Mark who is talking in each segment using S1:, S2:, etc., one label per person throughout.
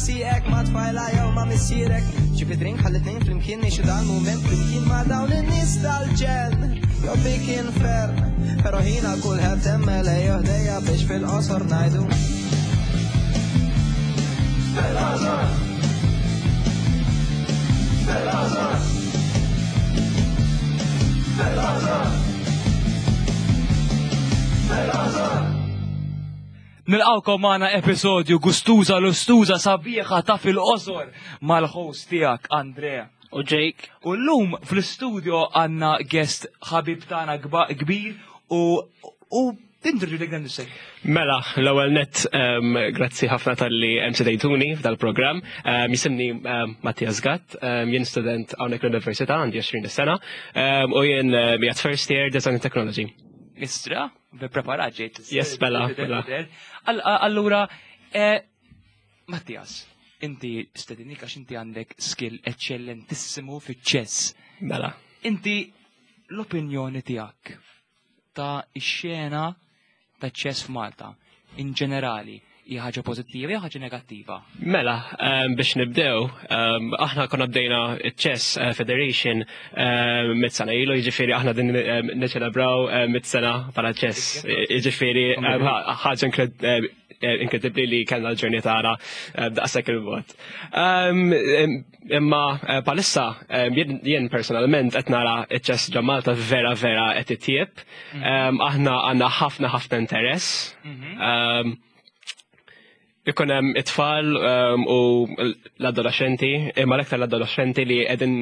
S1: sieqek ma' tfajla jew ma' missierek. Ġib id-drink ħalli tnejn flimkien ngħixu dal-mument flimkien ma' dawn in-nies tal-ġenn. Jew dik infern, però ħina kulħadd hemm ejjew ħdejja biex fil-qosor ngħidu. Fil-qosor! Fil-qosor! Fil-qosor! Fil-qosor!
S2: Nilqawkom magħna episodju gustuża lustuża sabiħa ta' fil-qosor mal-host tiegħek Andrea.
S3: U Jake.
S2: U llum fl-istudio għandna guest ħabib tagħna kbir u u introduce dik dan is
S4: Mela, l-ewwel net grazzi ħafna talli stedintuni f'dal-programm. Jisimni Mattias Gatt, jien student hawnhekk l-Università għandi 20 sena u jien qiegħed first year Design and Technology.
S2: Istra, preparat ġejt.
S4: Yes, mela, mela.
S2: Allura, Mattias, inti stedinnik għax inti għandek skill eccellentissimu fiċ-chess.
S4: Mela.
S2: Inti l-opinjoni tiegħek ta' ix-xena ta' chess f'Malta in ġenerali hija ħaġa pożittiva jew ħaġa negattiva?
S4: Mela, biex nibdew, aħna konna bdejna Chess Federation mit-sena ilu, jiġifieri aħna din niċelebraw mit-sena bħala chess. Jiġifieri ħaġa inkredibbli li kellna l-ġurnata tagħna daqshekk il-bogħod. Imma bħalissa jien personalment qed nara ċ-chess ġo Malta vera vera qed itjieb. Aħna għandna ħafna ħafna interess. Ikun hemm it-tfal u l-adolescenti, imma l-aktar l-adolescenti li qegħdin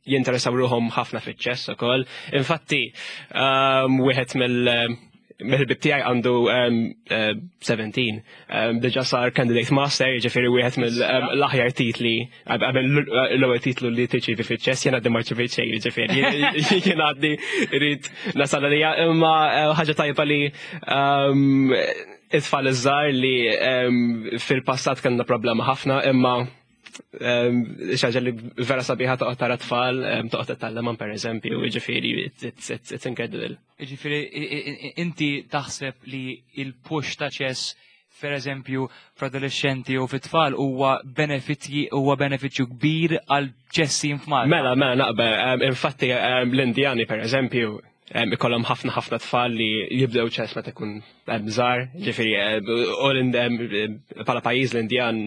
S4: jinteressaw ruħhom ħafna fiċ-chess ukoll. Infatti, wieħed mill-ħbieb tiegħi għandu 17, diġà sar candidate master, jiġifieri wieħed mill-aħjar titli, qabel l-ewwel titlu li tirċievi fiċ-chess, jien għaddi ma rċevejt xejn, jiġifieri jien għaddi rrid nasal għalija, imma ħaġa tajba li it-tfal iż-żgħar li fil-passat kellna problema ħafna, imma xi ħaġa li vera sabiħa toqgħod tara tfal, toqgħod titgħallemhom pereżempju, jiġifieri it's incredible.
S2: Jiġifieri inti taħseb li il-push ta' chess per eżempju fl-adolescenti u fit-tfal huwa benefiċċji huwa benefiċċju kbir għal chess scene f'Malta.
S4: Mela, mela naqbel, infatti l-Indjani per eżempju ikollhom ħafna ħafna tfal li jibdew chess meta jkun żgħar, ġifieri u bħala pajjiż l-Indjan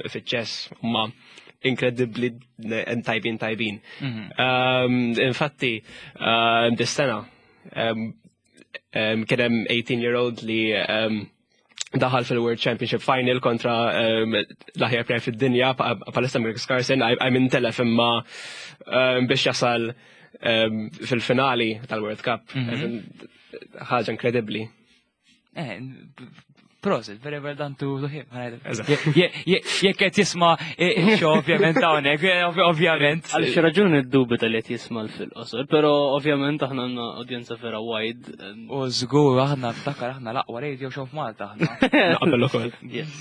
S4: fiċ-chess huma inkredibbli tajbin tajbin. Infatti, dis-sena kien hemm 18 year old li daħal fil-World Championship Final kontra l-aħjar player fid-dinja palissa Magnus Carlsen, I mean telef imma biex jasal fil-finali tal-World Cup. Ħaġa inkredibbli.
S2: Prosit, very well done to him. Jekk qed jisma' show ovvjament hawnhekk, ovvjament.
S3: Għal xi raġuni ddubita li qed jisma' fil-qosor, però ovvjament aħna għandna udjenza vera wide.
S2: U żgur aħna ftakar aħna l-aqwa radio show f'Malta aħna.
S4: Naqbel ukoll.
S3: Yes,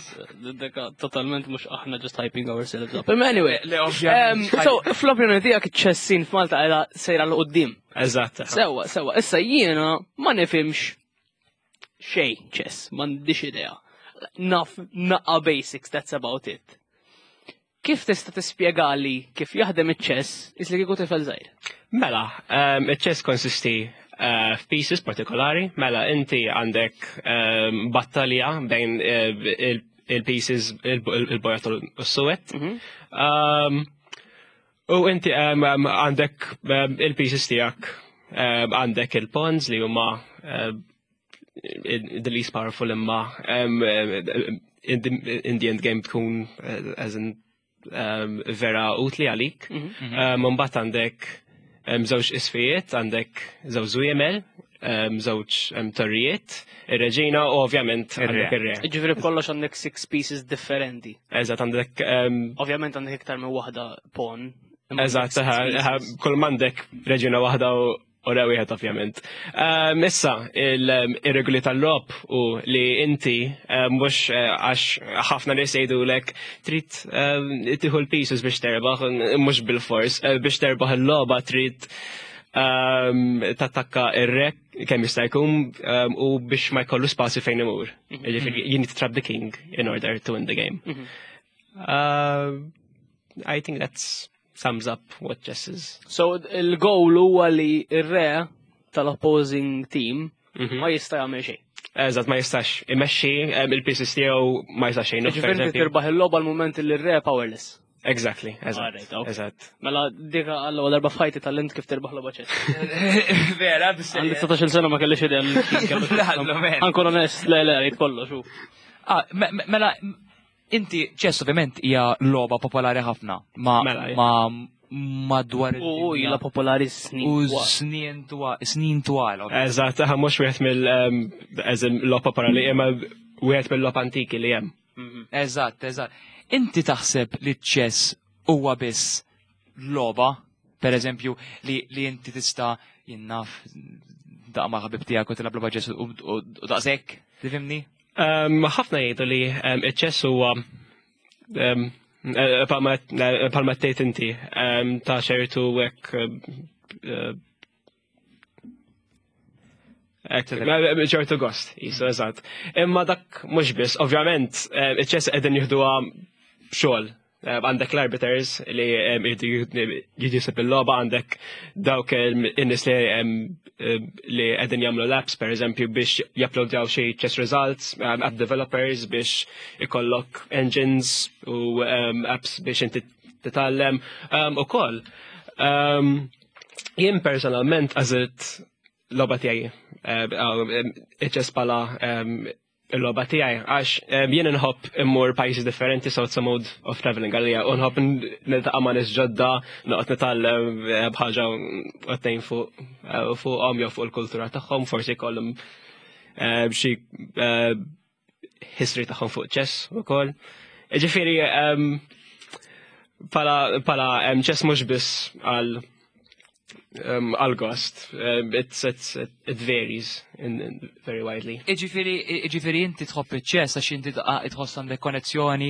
S3: dak totalment mhux aħna just hyping ourselves up. Imma anyway,
S2: Le, ovvjament.
S3: So fl-opinjoni tiegħek iċ-chess scene f'Malta qiegħda sejra 'l quddiem.
S4: Eżatt.
S3: Sewa, issa jiena ma nifhimx xejn chess, m'għandix idea. Naf naqa basics, that's about it. Kif tista' tispjegali kif jaħdem iċ-chess is li kieku tifel żgħir?
S4: Mela, il-chess konsisti f'pieces partikolari, mela inti għandek battalja bejn il-pieces il-bojod u s-suwed. U inti għandek il-pieces tiegħek, għandek il-pawns li huma the least powerful imma in the end game tkun as in vera utli għalik. Mbagħad għandek żewġ isfijiet, għandek żewġ żwiemel, żewġ torrijiet, ir-reġina u ovvjament għandek ir-re.
S3: Ġifieri b'kollox għandek six pieces differenti.
S4: Eżatt, għandek
S3: Ovvjament għandek iktar minn waħda pawn. Imma
S4: Eżatt,
S3: six pieces.
S4: Kull m'għandek reġina waħda u re wieħed ovvjament. Issa, il-regoli tal-logħob u li inti mhux għax ħafna nies jgħidulek trid tieħu l-pieces biex terbaħ, mhux bil-fors, biex terbaħ il-logħba trid tattakka ir-re kemm jista' jkun u biex ma jkollu spazju fejn imur. Jiġifieri, you need to trap the king in order to win the game. I think that sums up what chess is.
S3: So il-goal huwa li ir-re tal-opposing team ma jista' jagħmel xejn.
S4: Eżatt, ma jistax imexxi il-pieces tiegħu ma jistax xejn.
S3: Ġifieri inti tirbaħ il-logħba l-mument li r-re powerless.
S4: Exactly, eżatt.
S3: Alright, okay.
S4: Eżatt.
S3: Mela dik għall darba f'ħajti tal-int kif tirbaħ logħba chess.
S2: Vera,
S3: Għandi 19 sena ma kellix idea.
S2: Lallu, man.
S3: Ankun onest, le le, rrid kollox. hu.
S2: Ah, mela, inti chess ovvjament hija logħba popolari ħafna ma
S4: Mela,
S2: ma madwar
S3: U
S2: id-dinja.
S3: ilha popolari snin.
S2: U
S3: twal.
S2: snin twal, snin twal. ovvjament.
S4: Eżatt, aha, mhux wieħed mill eżem logħob popolari, imma wieħed mill-logħob antiki li hemm.
S2: Eżatt, eżatt. Inti taħseb li chess huwa biss logħba, per eżempju, li inti tista' jinnaf daq ma' ħabib tiegħek u tilgħab logħba chess u daqshekk, tifhimni?
S4: Ħafna jgħidu li iċ-chess huwa palma tgħid inti ta' ċertu hekk ċertu gost, jisu eżatt. Imma dak mhux biss, ovvjament, iċ-chess qegħdin jieħduha xogħol. Għandek l-arbiters li jridu jisib il-logħba, għandek dawk in-nies li qegħdin jagħmlu l-apps, per eżempju, biex japplodjaw xi chess results, app developers biex ikollok engines u apps biex inti titgħallem ukoll. Jien personalment għażilt logħba tiegħi, iċ-chess bħala il-logħba tiegħi, għax jien inħobb immur pajjiżi differenti, so it's a mode of traveling għalija, u nħobb niltaqa' ma' nies ġodda, noqgħod nitgħallem b'ħaġa u tnejn fuqhom jew fuq il-kultura tagħhom, forsi jkollhom xi history tagħhom fuq chess ukoll. Ġifieri pala chess mhux biss għal gost. It varies in very widely.
S2: Iġifieri inti tħobb iċ-chess għax inti tħoss għandek konnezzjoni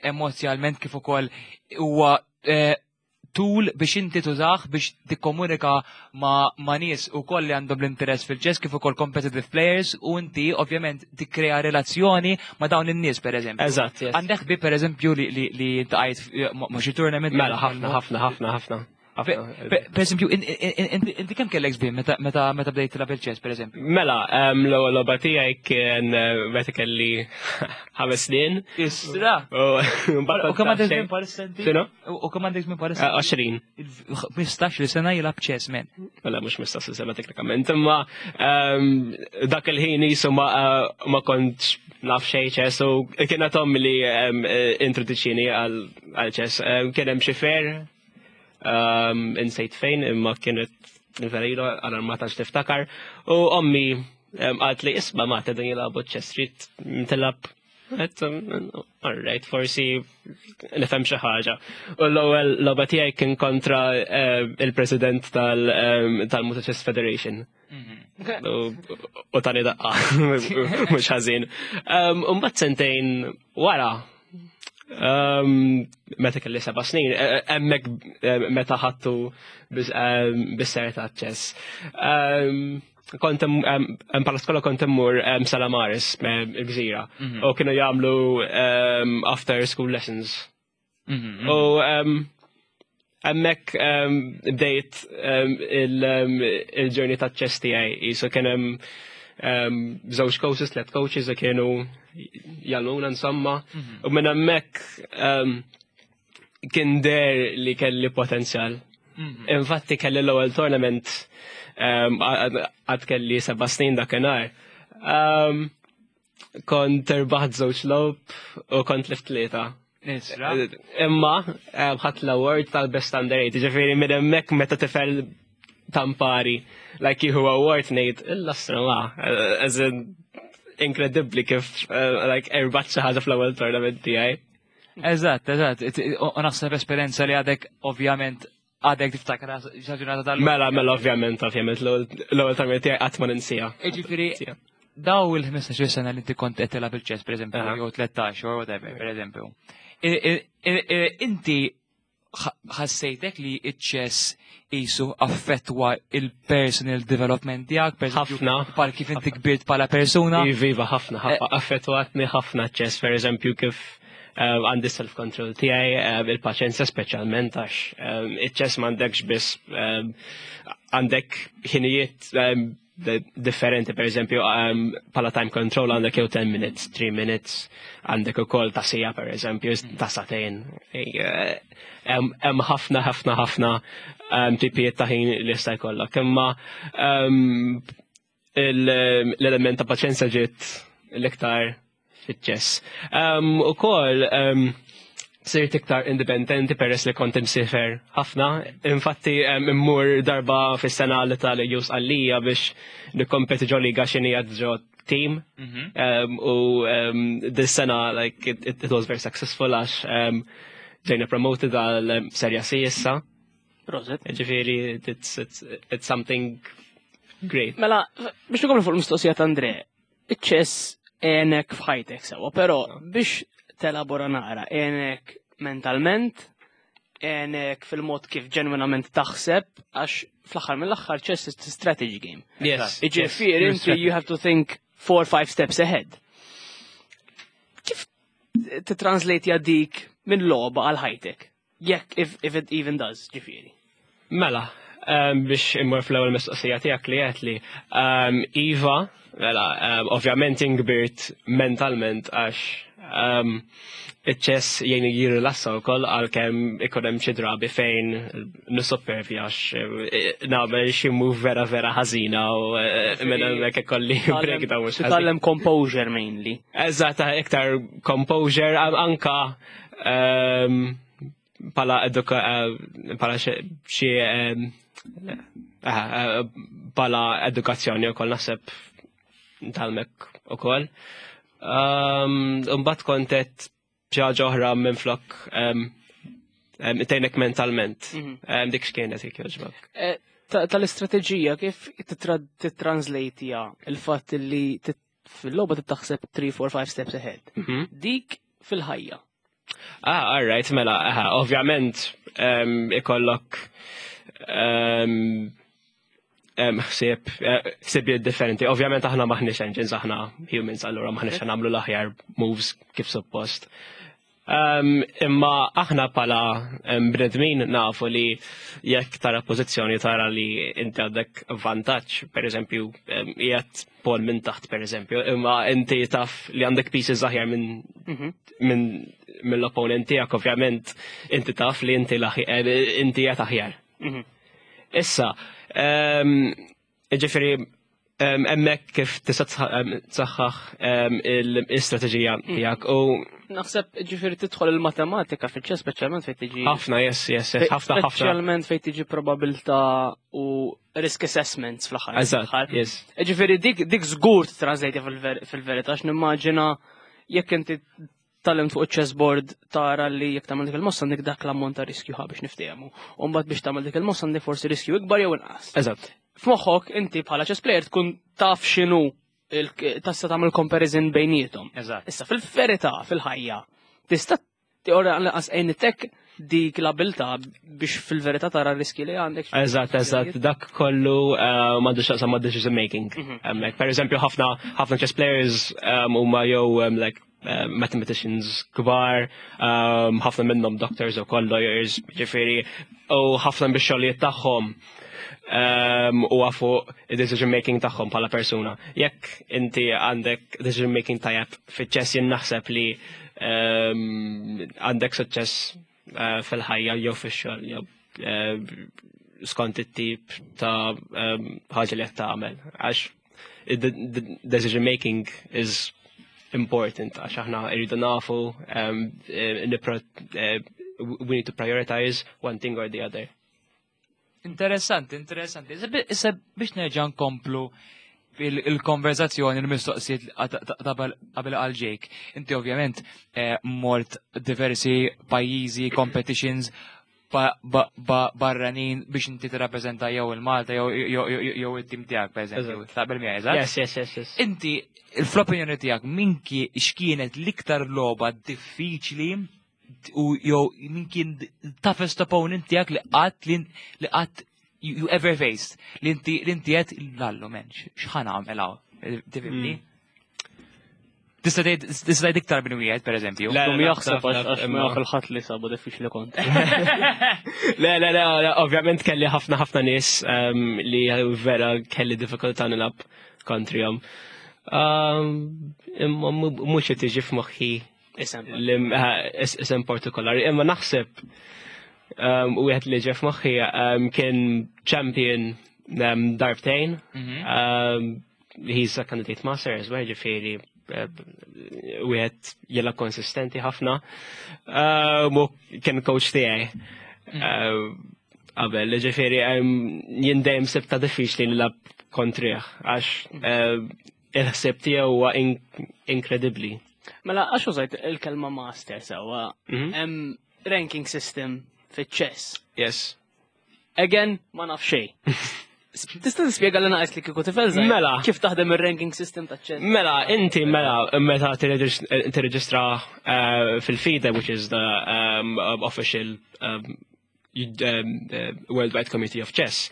S2: emozjonalment kif ukoll huwa tool biex inti tużah biex tikkomunika ma' nies ukoll li għandhom l-interess fil-chess kif ukoll competitive players u inti ovvjament tikkrea relazzjoni ma' dawn in-nies per eżempju.
S4: Eżatt, yes.
S2: Għandek bi per eżempju li ltqajt ma' xi tournament?
S4: Mela, ħafna, ħafna, ħafna, ħafna.
S2: Per eżempju, inti kemm kellek żmien meta bdejt tilgħab il-chess, per eżempju?
S4: Mela, l-ewwel logħba tiegħi kien meta kelli 5 snin.
S2: Isra!
S4: U mbagħad
S2: U kemm għandek
S4: xejn.
S2: żmien bħalissa inti?
S4: X'inhu?
S2: U kemm għandek żmien bħalissa?
S4: 20.
S2: 15 sena jilgħab chess, man.
S4: Mela mhux mistax sena teknikament, imma dak il-ħin jisu ma kontx naf xejn chess u kienet ommi li introduċini għal chess. Kien hemm xi fair insejt fejn imma kienet vera ilu għal ma tantx tiftakar u ommi qalt li isma' ma qegħdin jilagħbu chess trid tilgħab. Għedt, all right, forsi nifhem xi ħaġa. U l-ewwel logħba tiegħi kien kontra il-president tal-Malta Chess Federation. U tani daqqa, mhux ħażin. U mbagħad sentejn wara, meta kelli 7 snin, hemmhekk meta ħadtu bis-serjetà ta' chess. Kont bħala skola kont immur Stella Maris, il-Gżira, u kienu jagħmlu after school lessons. U hemmhekk bdejt il-journey ta' chess tiegħi, jisu kien hemm żewġ coaches, tliet coaches li kienu jgħallmuna insomma. U minn hemmhekk kien deher li kelli potenzjal. Infatti kelli l-ewwel tournament għad kelli 7 snin dakinhar. Kont irbaħt żewġ logħob u kont tlift tlieta.
S2: Nisra.
S4: Imma ħadt l-award tal-best under 8, ġifieri minn hemmhekk meta tifel tampari, like jieħu award ngħid, il-lastra ma, as in, inkredibbli kif like irbaħt xi ħaġa fl-ewwel tournament tiegħi.
S2: Eżatt. U naħseb esperjenza li għadek ovvjament għadek tiftakar ġurnata tal
S4: Mela, ovvjament, l-ewwel tournament tiegħi qatt ma ninsieha.
S2: Ġifieri, daw il-15 sena li inti kont qed tilgħab il-chess, per eżempju, jew 13 or whatever, per eżempju. Inti ħassejtek li iċ-chess jisu affettwa il-personal development tiegħek, per eżempju,
S4: Ħafna.
S2: bħal kif inti kbirt bħala persuna?
S4: Iva, ħafna, ħafna, affettwatni ħafna chess, per eżempju, kif Għandi self-control tiegħi, il-paċenzja speċjalment għax iċ-chess m'għandekx biss għandek ħinijiet differenti, per eżempju, bħala time control għandek jew 10 minutes, 3 minutes, għandek ukoll ta' siegħa, per eżempju, ta' sagħtejn. Hemm ħafna, ħafna, ħafna tipijiet ta' ħin li jista' jkollok. Imma l-element ta' paċenzja ġiet l-iktar fiċ-chess. Ukoll sirt iktar indipendenti peress li kont imsiefer ħafna. Infatti immur darba fis-sena l-Italja jew Sqallija biex nikkompeti ġo liga xini ġo team. U dis-sena, like, it was very successful għax ġejna promoted għal Serja C issa.
S3: Prosit.
S4: Ġifieri, it's something great.
S3: Mela, biex nkomplu fuq il-mistoqsija ta' Andre, iċ-chess għenek f'ħajtek sewa, però biex telabora naqra, għenek mentalment, għenek fil-mod kif ġenwinament taħseb, għax fl-aħħar mill-aħħar chess is a strategy game. Iġifieri, inti you have to think four or five steps ahead. Kif titranslate dik minn logħba għal ħajtek? Jekk if it even does, ġifieri.
S4: Mela, biex immur fl-ewwel mistoqsija tiegħek li qed li iva, mela, ovvjament inkbirt mentalment għax iċ-chess jgħin jirrilassa wkoll, għalkemm ikun hemm xi drabi fejn nisoppervi għax nagħmel xi move vera vera ħażina u minn hemmhekk ikolli breakdown mhux ħażin.
S3: Titgħallem composure mainly.
S4: Eżatt, iktar composure, anka bħala eduka bħala xi bħala edukazzjoni wkoll naħseb tgħallmek ukoll. Mbagħad kontet xi ħaġa oħra minn flok tgħinek mentalment. Dik x'kienet, jekk jogħġbok?
S3: Tal-istrateġija kif titranslate il-fatt li fil-logħba titaħseb 3, 4, 5 steps ahead. Dik fil-ħajja.
S4: Ah, all right, mela, aha, ovvjament ikollok ħsieb differenti. Ovvjament aħna maħniex engines, aħna humans, allura maħniex nagħmlu l-aħjar moves kif suppost. Imma aħna bħala bnedmin nafu li jekk tara pożizzjoni, tara li inti għandek vantaġġ, per eżempju, qiegħed pawn minn taħt, per eżempju, imma inti taf li għandek pieces aħjar minn mill-opponent tiegħek, ovvjament inti taf li inti qiegħed aħjar. Issa, ġifieri, hemmhekk kif tista' tsaħħaħ l-istrateġija tiegħek u
S3: Naħseb ġifieri tidħol il-matematika fil-ċess, speċjalment fejn tiġi
S4: Ħafna, yes, ħafna, ħafna.
S3: Speċjalment fejn tiġi probabilità u risk assessments fl-aħħar.
S4: Eżatt, yes.
S3: Ġifieri dik żgur titranslate fil-verità, għax nimmaġina jekk inti tgħallimt fuq il-chessboard tara li jekk tagħmel dik il-mossa għandek dak l-ammont ta' riskju, ħa biex niftehmu. U mbagħad biex tagħmel dik il-mossa għandek forsi riskju ikbar jew inqas. F'moħħok inti bħala chess player tkun taf x'inhu tista' tagħmel comparison bejniethom. Issa fil-verità, fil-ħajja, tista' ora lanqas għenitek dik l-abilità biex fil-verità tara riski li għandek.
S4: Eżatt, dak kollu m'għandu x'jaqsam ma' decision making. Hemmhekk, per eżempju, ħafna ħafna chess players huma jew like mathematicians kbar, ħafna minnhom doctors u koll lawyers, ġifieri, u ħafna bix-xogħlijiet tagħhom u fuq decision making tagħhom bħala persuna. Jekk inti għandek decision making tajjeb fiċ-chess, jien naħseb li għandek suċċess fil-ħajja jew fix-xogħol jew skont it-tip ta' ħaġa li qed tagħmel. Għax decision making is important għax aħna rridu nafu we need to prioritize one thing or the other.
S2: Interessanti, interessanti. Issa biex nerġa' nkomplu il-konverzazzjoni, il-mistoqsijiet qabel għal Jake. Inti ovvjament mort diversi pajjiżi, competitions barranin biex inti tirrappreżenta jew il-Malta jew it-tim tiegħek, pereżempju. Taqbel miegħi, eżatt?
S4: Yes.
S2: Inti, fl-opinjoni tiegħek, min x'kienet l-iktar logħba diffiċli u jew min kien toughest opponent tiegħek li qatt you ever faced, li inti qed lallu men, x'ħa nagħmel hawn? Tifhimni? Tista' tgħid iktar minn wieħed pereżempju.
S4: Le,
S3: Dum jaħseb għax ma
S4: imma-
S3: jaf il-ħadd li sabu diffiċli kont.
S4: Le, le, le, le, ovvjament kelli ħafna ħafna nies li vera kelli diffikultà nilgħab kontrihom. Imma mhux qed tiġi f'moħħi
S3: Isem.
S4: li isem partikolari, imma naħseb wieħed li ġie f'moħħi kien champion darbtejn. He's a candidate master as well, ġifieri wieħed jela konsistenti ħafna. U kien coach tiegħi. Qabel, ġifieri jien dejjem sibta diffiċli nilgħab kontrih għax il-ħsieb tiegħu huwa inkredibbli.
S3: Mela, għax użajt il-kelma master sewwa, hemm ranking system fiċ-chess.
S4: Yes.
S3: Again, ma naf xejn. Tista' tispjega li naqas li kieku tifel żgħir?
S4: Mela.
S3: Kif taħdem ir-ranking system ta' chess?
S4: Mela, inti mela, meta tirreġistra fil-FIDE, which is the official Worldwide Committee of Chess,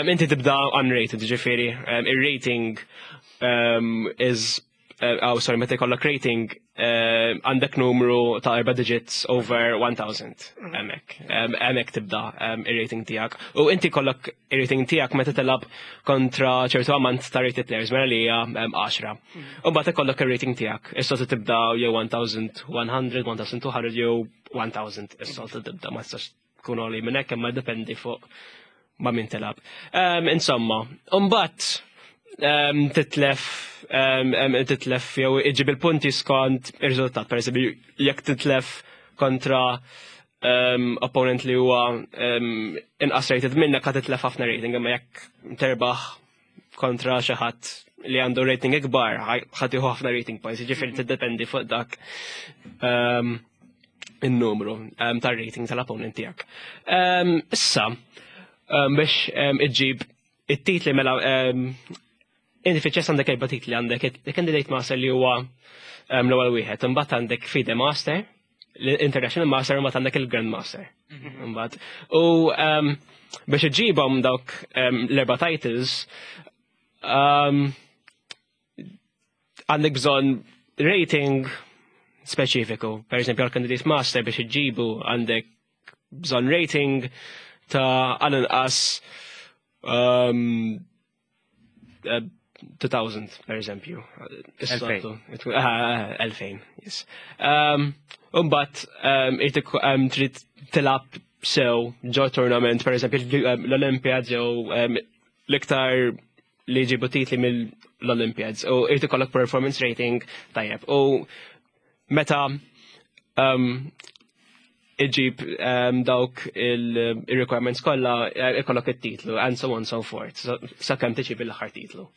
S4: inti tibda unrated, ġifieri, il-rating is, oh, sorry, meta jkollok rating, għandek numru ta' erba' digits over 1000, hemmhekk. Hemmhekk tibda il-rating tiegħek. U inti kollok il-rating tiegħek meta tilgħab kontra ċertu ammont ta' rated players, mela li hija 10. U mbagħad ikollok il-rating tiegħek. Is-soltu tibda jew 1100, 1200 jew 1000. Is-soltu tibda, ma tistax tkun għoli minn hekk, imma dependi fuq ma' min tilgħab. Insomma, mbagħad titlef jew iġib il-punti skont ir-riżultat. Per eżempju, jekk titlef kontra opponent li huwa inqas rated minnek, ħa titlef ħafna rating, imma jekk terbaħ kontra xi ħadd li għandu rating ikbar, ħa tieħu ħafna rating points, ġifieri tiddependi fuq dak in-numru tar-rating tal-opponent tiegħek. Issa, biex iġġib it-titli, mela inti fiċ għandek erba' titli: għandek il-Candidate Master li huwa l-ewwel wieħed, imbagħad għandek FIDE Master, l-International Master, u mbagħad għandek il-Grand Master. Imbagħad. U biex iġġibhom dawk l-erba' titles, għandek bżonn rating speċifiku. Per eżempju, għal Candidate Master biex iġġibu għandek bżonn rating ta' għal-inqas 2000, per eżempju. Is-soltu. 2000, yes. Umbat, trid tilgħab sew ġo tournament, per eżempju, l-Olympiads jew l-iktar li jġibu titli mill-Olympiads u irid ikollok performance rating tajjeb. U meta iġib dawk il-requirements kollha, ikollok it-titlu and so on and so forth. Sakemm tiġib l-aħħar titlu.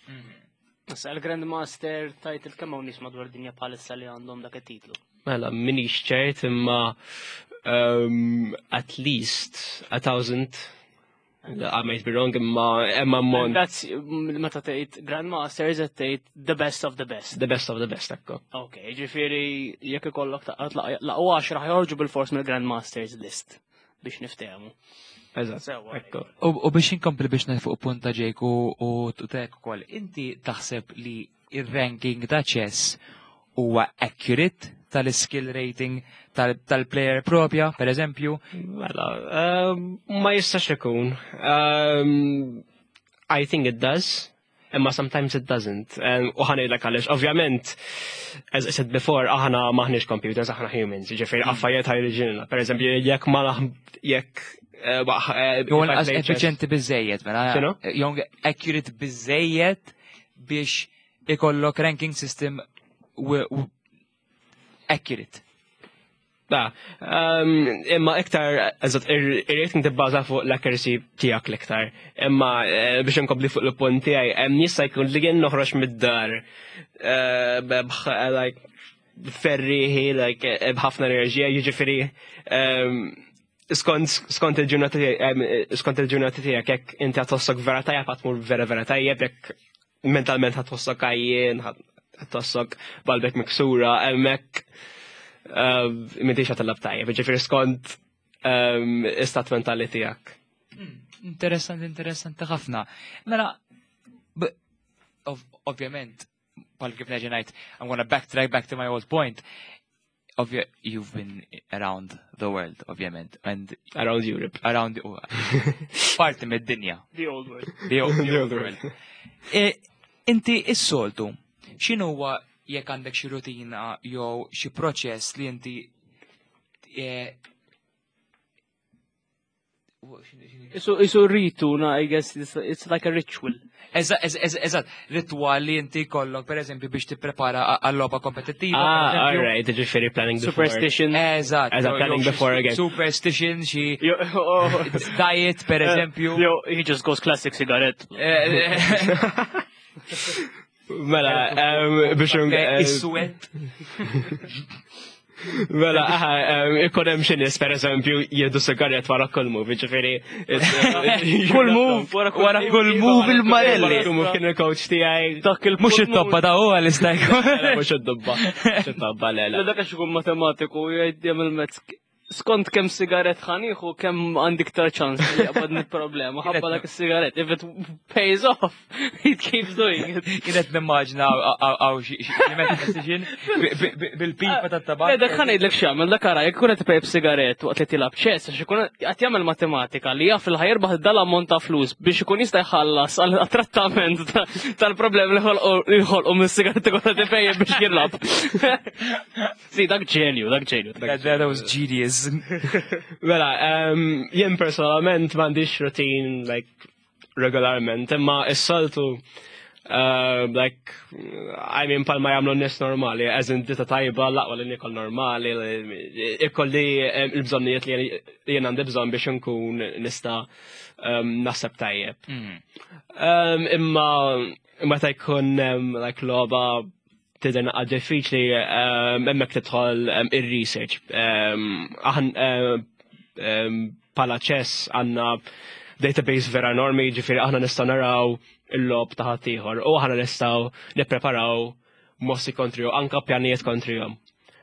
S3: Issa il-Grandmaster title, kemm hawn nies madwar dinja bħalissa li għandhom dak it-titlu?
S4: Mela, minix ċert, imma at least 1000. I might be wrong, imma ammont.
S3: That's meta tgħid Grandmaster is tgħid the best of the best.
S4: The best of the best, ekku.
S3: Ok, ġifieri jekk ikollok taqgħod laqwa 10 ħajorġu bil-fors mill-Grandmasters list biex niftehmu.
S4: Eżatt,
S3: Sewwa.
S4: Ekku.
S2: U biex inkompli biex fuq punta Jake u tek ukoll, inti taħseb li ir-ranking ta' chess huwa accurate tal-skill rating tal-player propja, per eżempju?
S4: Mela, ma jistax ikun. I think it does, imma sometimes it doesn't. U ħa ngħidlek għaliex, ovvjament, as I said before, aħna maħniex computers, aħna humans, ġifieri affarijiet ħa jiġrilna. Per eżempju, jekk ma jekk
S2: Jew
S4: if I
S2: inqas
S4: play chess-
S2: effiċjenti biżejjed, mela.
S4: X'inhu?
S2: Jew accurate biżejjed biex ikollok ranking system accurate.
S4: Da, imma iktar, eżatt, ir-rating tibbaża fuq l-accuracy tiegħek l-iktar. Imma biex nkompli fuq l-punt tiegħi, hemm jista' jkun li jien noħroġ mid-dar like ferriħi, like b'ħafna enerġija, jiġifieri skont il-ġurnata tiegħek, jekk inti ħa tħossok vera tajjeb, ħa tmur vera vera tajjeb, jekk mentalment ħa tħossok għajjien, ħa tħossok b'qalbek miksura, hemmhekk m'intix ħa tilgħab tajjeb, ġifieri skont istat mentali tiegħek.
S2: Interessanti, interessanti ħafna. Mela, ovvjament, bħal kif nerġa' ngħid, I'm gonna backtrack back to my old point. Ovvja, you've been around the world, ovvjament, and
S4: Around Europe.
S2: Around parti mid-dinja.
S3: The old world.
S2: The old world. Inti is-soltu, x'inhu huwa jekk għandek xi rutina jew xi proċess li inti
S3: Isu ritu, na, I guess it's like a ritual.
S2: Eżatt, ritual li inti kollok, per eżempju, biex tipprepara għall-logħba kompetittiva.
S4: Ah, all right, ġifieri planning before.
S3: Superstition.
S2: Eżatt.
S4: Eżatt, planning before again.
S2: Superstition, xi
S3: oh.
S2: diet, per eżempju.
S3: Yo, he just goes classic cigarette.
S4: Mela, biex
S2: Is-suwed.
S4: Mela, aha, ikun hemm xi nies pereżempju jieħdu sigaret wara kull move, ġifieri.
S3: Kull move,
S2: wara kull move il-Marelli.
S4: Kull move kien il-coach tiegħi.
S3: Dak il
S2: Mhux it-tobba ta' huwa li jkun.
S4: Mhux id-dubba. Mhux it-tobba le.
S3: Le dak għax ikun matematiku jgħid jagħmel mezz skont kemm sigaret ħaniħu kemm għandi iktar ċans li jaqbadni problema ħabba dak is-sigaret. If it pays off, it keeps doing it.
S2: Kienet nimmaġna għaw xi mathematician bil-pipa tat-tabak.
S3: Le dak ħa ngħidlek x'jagħmel dak ara jekk ikun qed ipejjep sigaret waqt li tilgħab chess għax ikun qed jagħmel matematika li jaf li ħa jirbaħ dal-ammont ta' flus biex ikun jista' jħallas għal trattament tal-problemi li ħolqu mis-sigaretti kollha tipejjep biex jilgħab. Si, dak ġenju, dak ġenju.
S2: That was genius.
S4: Mela, jien personalment m'għandix routine like regolarment, imma s-soltu like, I mean, bħalma jagħmlu n-nies normali, as in dieta tajba, l-aqwa li nikol normali, ikolli il-bżonnijiet li jien għandi bżonn biex nkun nista naħseb tajjeb. Imma meta jkun like logħba tidher naqra diffiċli, hemmhekk tidħol ir-research. Aħna bħala chess għandna database vera enormi, ġifieri aħna nistgħu naraw il-logħob ta' ħaddieħor u aħna nistgħu nippreparaw mossi kontrihom, anka pjanijiet kontrihom.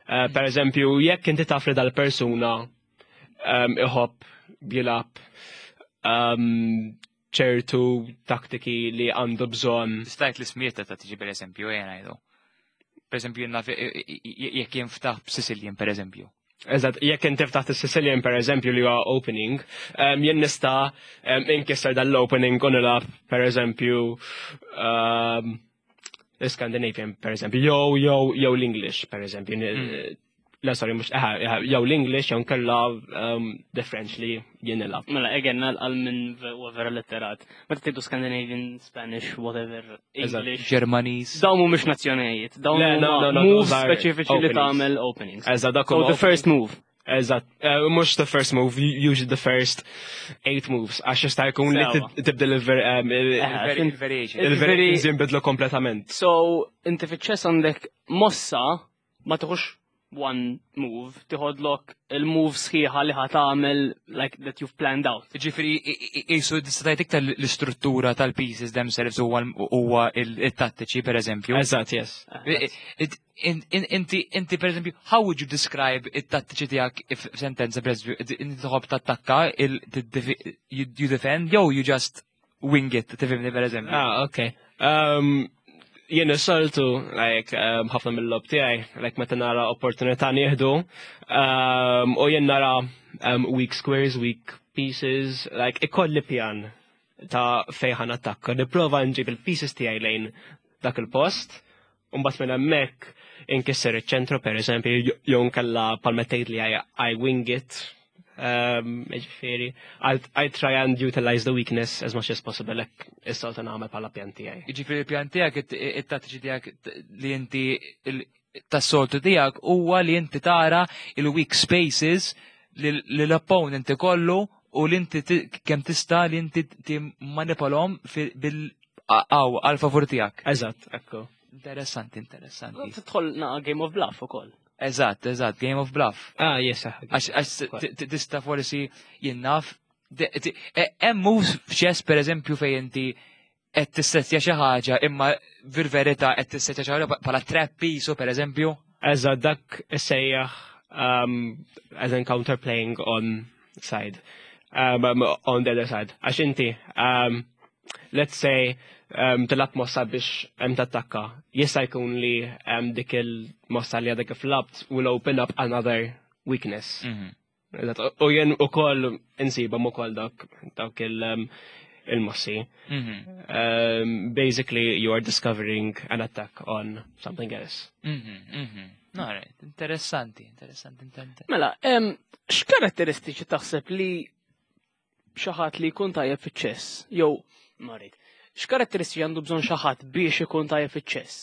S4: Per eżempju, jekk inti taf li dal-persuna iħobb jilgħab ċertu taktiki li għandu bżonn.
S2: Stajt li smieta ta' tiġi per eżempju, jena ngħidu. Per eżempju, jien naf jekk jinftaħ b'Sicilian, per eżempju.
S4: Eżatt, jekk inti ftaħt is-Sicilian per eżempju li huwa opening, jien nista' inkisser dal-opening u nilgħab per eżempju l-Scandinavian per eżempju, jew l-English per eżempju. Le, sorry, mhux, aha, jew l-English jew nkella the French li jien nilgħab.
S3: Mela, again, għal minn huwa vera letterat. Meta tgħidu Scandinavian, Spanish, whatever, English.
S2: Germanies.
S3: Dawn mhumiex nazzjonijiet, dawn
S4: Le, no,
S3: huma
S4: no, no,
S3: moves
S4: those are
S3: speċifiċi li
S4: openings.
S3: tagħmel openings.
S4: Eżatt, dak
S3: So
S4: huma
S3: the first move.
S4: Eżatt, mhux the first move, usually the first eight moves, għax jista' jkun li
S3: Sewa.
S4: tibdel
S2: Il-variation.
S4: il-variations jinbidlu kompletament.
S3: So, inti fiċ-chess għandek mossa ma tieħux one move, tiħodlok il-move sħiħa li ħa tagħmel like that you've planned out.
S2: Ġifieri, jisu tista' tgħid iktar l-istruttura tal-pieces themselves huwa il-tattiċi, per eżempju.
S4: Eżatt, yes.
S2: Inti, per eżempju, how would you describe it-tattiċi tiegħek if sentenza, per eżempju, inti tħobb tattakka, you defend, jew you just wing it, tifhimni, per eżempju?
S4: Ah, okay. Jien is-soltu, like, ħafna mill-logħob tiegħi, like, meta nara opportunità nieħdu, u jien nara weak squares, weak pieces, like, ikolli pjan ta' fejn ħa nattakka. Nipprova nġib il-pieces tiegħi lejn dak il-post, u mbagħad minn hemmhekk inkisser iċ-ċentru, per eżempju, jew nkella palmettejt li I wing it. Ġifieri, I try and utilize the weakness as much as possible, like, is-soltu nagħmel bħala pjan tiegħi.
S2: Ġifieri il-pjan tiegħek, it-tattiċi tiegħek li inti tas-soltu tiegħek huwa li inti tara il-weak spaces li l-opponent ikollu u li inti kemm tista' li inti timmanipolhom bil għal favur tiegħek.
S4: Eżatt, ekku.
S2: Interessanti, interessanti.
S3: Tidħol naqa Game of Bluff ukoll.
S2: Eżatt, Game of Bluff.
S4: Ah, yes, ah,
S2: Għax tista' forsi jien naf. Hemm moves f'chess per eżempju fejn inti qed tissettja xi ħaġa imma fil-verità qed tissettja xi ħaġa bħala trap piece per eżempju.
S4: Eżatt, dak issejjaħ as in counterplaying on side. On the other side. Għax inti, Let's say tilgħab mossa biex tattakka. Jista' jkun li dik il-mossa li għadek kif lgħabt will open up another weakness. Eżatt, u jien ukoll insibhom ukoll dawk il-mossi. Basically, you are discovering an attack on something else.
S2: Alright, interessanti, interessanti, interessanti.
S3: Mela, x'karatteristiċi taħseb li xi ħadd li jkun tajjeb fiċ-chess? Jew, marid, x'karatteristiċi għandu bżonn xi ħadd biex ikun tajjeb fiċ-chess?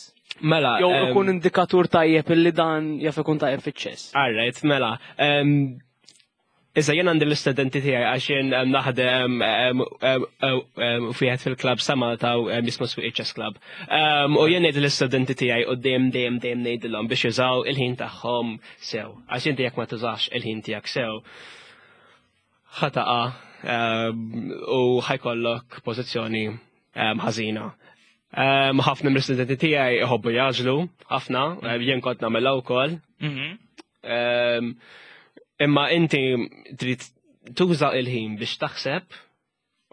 S4: Mela,
S3: Jew ikun indikatur tajjeb illi dan jaf ikun tajjeb fiċ-chess.
S4: Alright, mela. Issa jien għandi l-istudenti tiegħi għax jien naħdem wieħed fil-klabb sa Malta jismu Sweet Chess Club. U jien ngħid l-istudenti tiegħi u dejjem dejjem dejjem ngħidilhom biex jużaw il-ħin tagħhom sew. Għax inti jekk ma tużax il-ħin tiegħek sew, ħa taqa' u ħa jkollok pożizzjoni ħażina. Ħafna mill-istudenti tiegħi iħobbu jagħġlu, ħafna, jien kont nagħmilha wkoll. Imma inti trid tuża il-ħin biex taħseb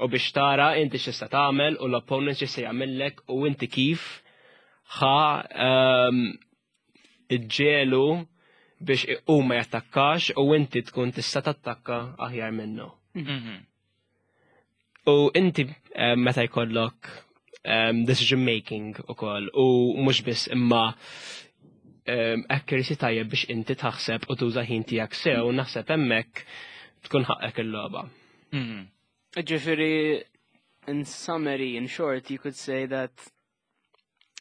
S4: u biex tara inti x'tista' tagħmel u l-opponent x'jista' jagħmellek u inti kif ħa iġġiegħlu biex hu ma jattakkax u inti tkun tista' tattakka aħjar minnu. U inti meta jkollok decision making ukoll u mhux biss imma accuracy tajjeb biex inti taħseb u tuża ħin tiegħek sew, naħseb hemmhekk tkun ħaqqek il-logħba.
S3: Ġifieri, in summary, in short, you could say that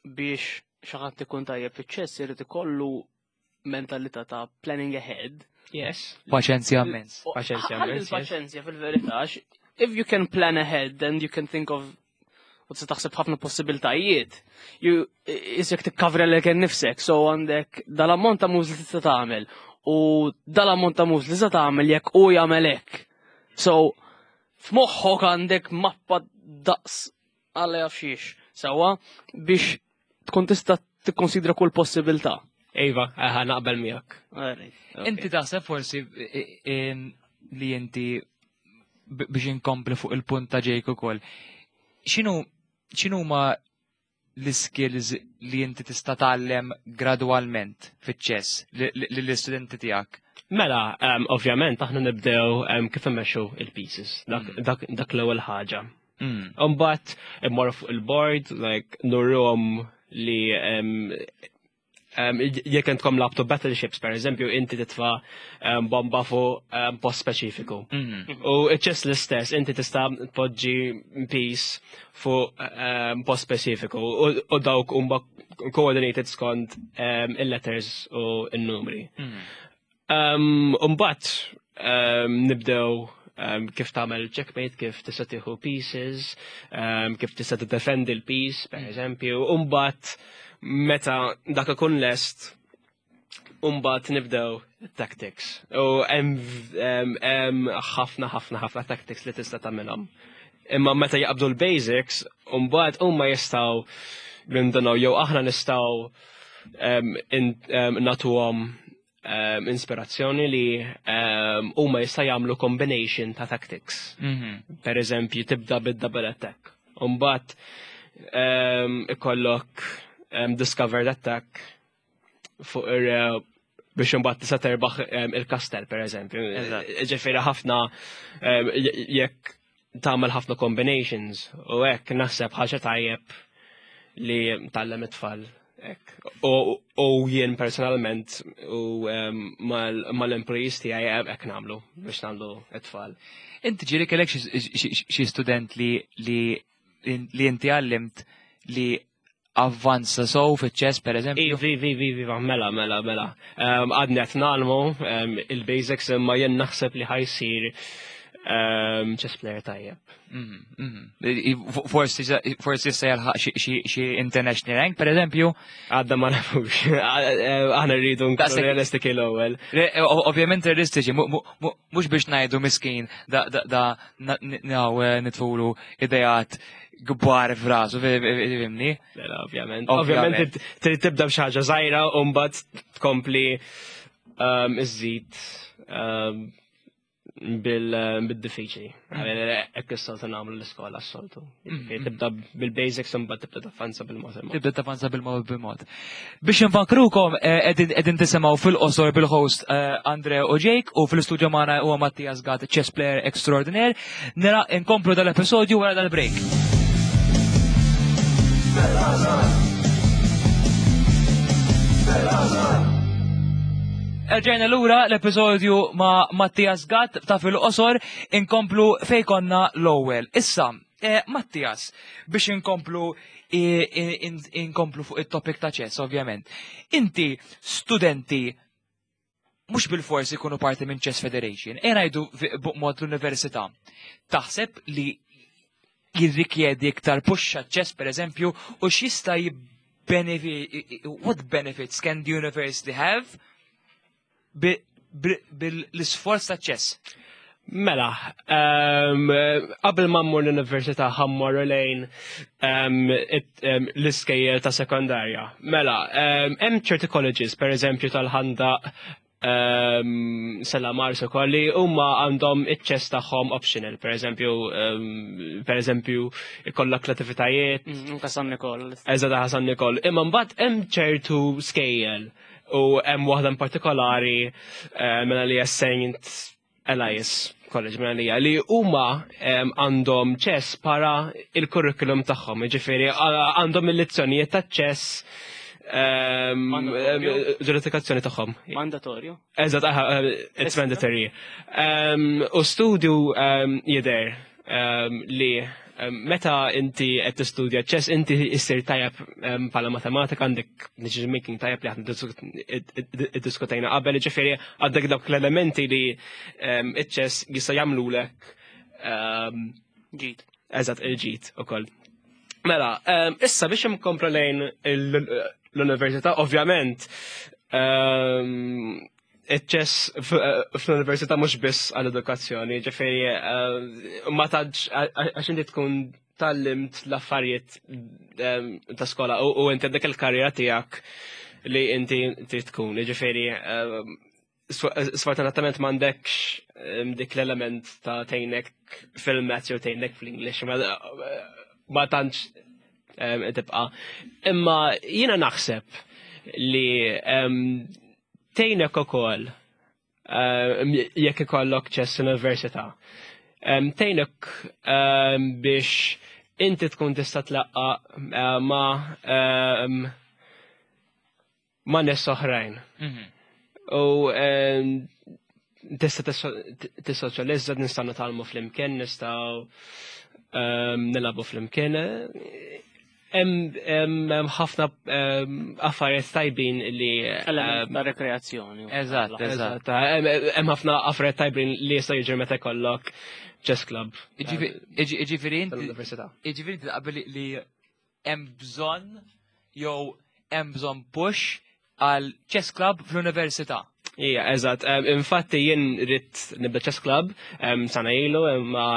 S3: biex xi ħadd ikun tajjeb fiċ-chess irid ikollu mentalità ta' planning ahead.
S4: Yes.
S2: Paċenzja immens.
S4: Paċenzja
S3: Ħalli
S4: immens, yes.
S3: l-paċenzja fil-verità, għax if you can plan ahead, then you can think of u tista' taħseb ħafna possibiltajiet. You isek tikkavra lilek innifsek, so għandek dal-ammont ta' moves li tista' tagħmel u dal-ammont ta' moves li tista' tagħmel jekk u jagħmel hekk. So f'moħħok għandek mappa daqs għalla jaf xiex, sewwa biex tkun tista' tikkonsidra kull possibilità.
S4: Iva, aha, naqbel miegħek.
S3: Alright, okay.
S2: Inti taħseb forsi li inti biex inkompli fuq il-punt ta' Jake ukoll. X'inhu ma l-skills li inti tista' tgħallem gradwalment fiċ-chess lill-istudenti tiegħek?
S4: Mela, ovvjament aħna nibdew kif immexxu il-pieces, dak l-ewwel ħaġa. Imbagħad immorru fuq il-board, like nurruhom li jekk intkom lgħabtu battleships, per eżempju, inti titfa bomba fuq post speċifiku. U ċess l-istess, inti tista' tpoġġi piece fuq post speċifiku u dawk huma coordinated skont il-letters u n-numri. Imbagħad nibdew kif tagħmel checkmate, kif tista' tieħu pieces, kif tista' tiddefendi l-piece, per eżempju, imbagħad meta dak ikun lest, imbagħad nibdew tactics. U hemm ħafna ħafna ħafna tactics li tista' tagħmilhom. Imma meta jaqbdu l-basics, imbagħad huma jistgħu jindunaw jew aħna nistgħu nagħtuhom inspirazzjoni li huma jista' jagħmlu combination ta' tactics. Per eżempju, tibda bid-double attack. Imbagħad ikollok discovered attack fuq ir biex imbagħad tista' terbaħ il-kastell per eżempju. Ġifieri ħafna jekk tagħmel ħafna combinations u hekk naħseb ħaġa tajjeb li tgħallem it-tfal. Hekk. U jien personalment u mal-employees tiegħi hekk nagħmlu biex nagħmlu it-tfal.
S2: Inti ġieli kellek xi student li inti għallimt li avvanza sow fiċ-chess per eżempju?
S4: Vi, vi, vi, vi, mela, mela, mela. Għadni qed ngħallmu il-basics imma jien naħseb li ħa jsir chess player tajjeb.
S2: Forsi issa jalħaq xi international rank, per eżempju?
S4: Għadna ma nafux. Aħna rridu nkunu realistiċi l-ewwel.
S2: Ovvjament realistiċi, mhux biex ngħidu miskin da nitfulu idejat kbar f'rasu, fhimni?
S4: Mela, ovvjament. Ovvjament trid tibda b'xi ħaġa żgħira u mbagħad tkompli iżżid. bil-diffiċli. Hekk is-soltu nagħmlu l-iskola s-soltu. Tibda bil-basics imbagħad tibda tavvanza bil-mod il-mod.
S2: Tibda tavvanza bil-mod bil-mod. Biex nfakrukom qegħdin tisimgħu fil-qosor bil-host Andre u Jake u fil-studio magħna huwa Mattias Gatt, chess player extraordinaire. Nara nkomplu dal-episodju wara dal-break. Erġajna lura l-episodju ma' Mattias Gatt ta' fil-qosor inkomplu fej konna l-ewwel. Issa, eh, Mattias, biex inkomplu inkomplu fuq it-topic ta' chess, ovvjament. Inti studenti mhux bil-forsi jkunu parti minn Chess Federation, e ngħidu b'mod l-università. Taħseb li jirrikjedi iktar push chess per eżempju u x'jista' jibbenefi what benefits can the university have bil-isforz ta' chess?
S4: Mela, qabel ma mmur l-università ħa mmorru lejn l-iskejjel ta' sekondarja. Mela, hemm ċerti colleges, per eżempju tal-Ħandaq, Stella Maris ukoll li huma għandhom iċ-chess tagħhom optional, per eżempju ikollok l-attivitajiet.
S3: Anka San Nikol.
S4: Eżatt, San Nikol. Imma mbagħad hemm ċertu skejjel u hemm waħda in partikolari mela li Saint Elias College mela li huma għandhom chess para il-curriculum tagħhom, jiġifieri għandhom il-lezzjonijiet ta' chess
S3: Mandatorju.
S4: ġuristikazzjoni tagħhom.
S3: Mandatorju.
S4: Eżatt, aha, it's mandatory. U studju jidher li meta inti qed tistudja chess inti issir tajjeb bħala matematika, għandek decision making tajjeb li aħna iddiskutejna qabel, ġifieri għandek dawk l-elementi li iċ-chess jista' jagħmlulek
S3: ġid.
S4: Eżatt, il-ġid ukoll. Mela, issa biex inkomplu lejn l-università, ovvjament, iċ-chess fl-università mhux biss għall-edukazzjoni, ġifieri ma tantx għax inti tkun tgħallimt l-affarijiet ta' skola u inti għandek il-karriera tiegħek li inti trid tkun, ġifieri sfortunatament m'għandekx dik l-element ta' tgħinek fil-maths jew tgħinek fl-English, ma tantx tibqa'. Imma jiena naħseb li tgħinek ukoll jekk ikollok chess università. Tgħinek biex inti tkun tista' tlaqqa ma' nies oħrajn. U tista' tissoċjalizza, nistgħu nitgħallmu flimkien, nistgħu nilagħbu flimkien. Hemm ħafna affarijiet tajbin li
S3: Element ta' rekreazzjoni.
S2: Eżatt, eżatt.
S4: Eżatt, hemm ħafna affarijiet tajbin li jista' jiġri meta jkollok chess club.
S2: Jiġifieri inti
S4: Tal-università.
S2: Jiġifieri inti taqbel li hemm bżonn jew hemm bżonn push għal chess club fl-università.
S4: Ija, eżatt. Infatti jien ridt nibda chess club sana ilu, imma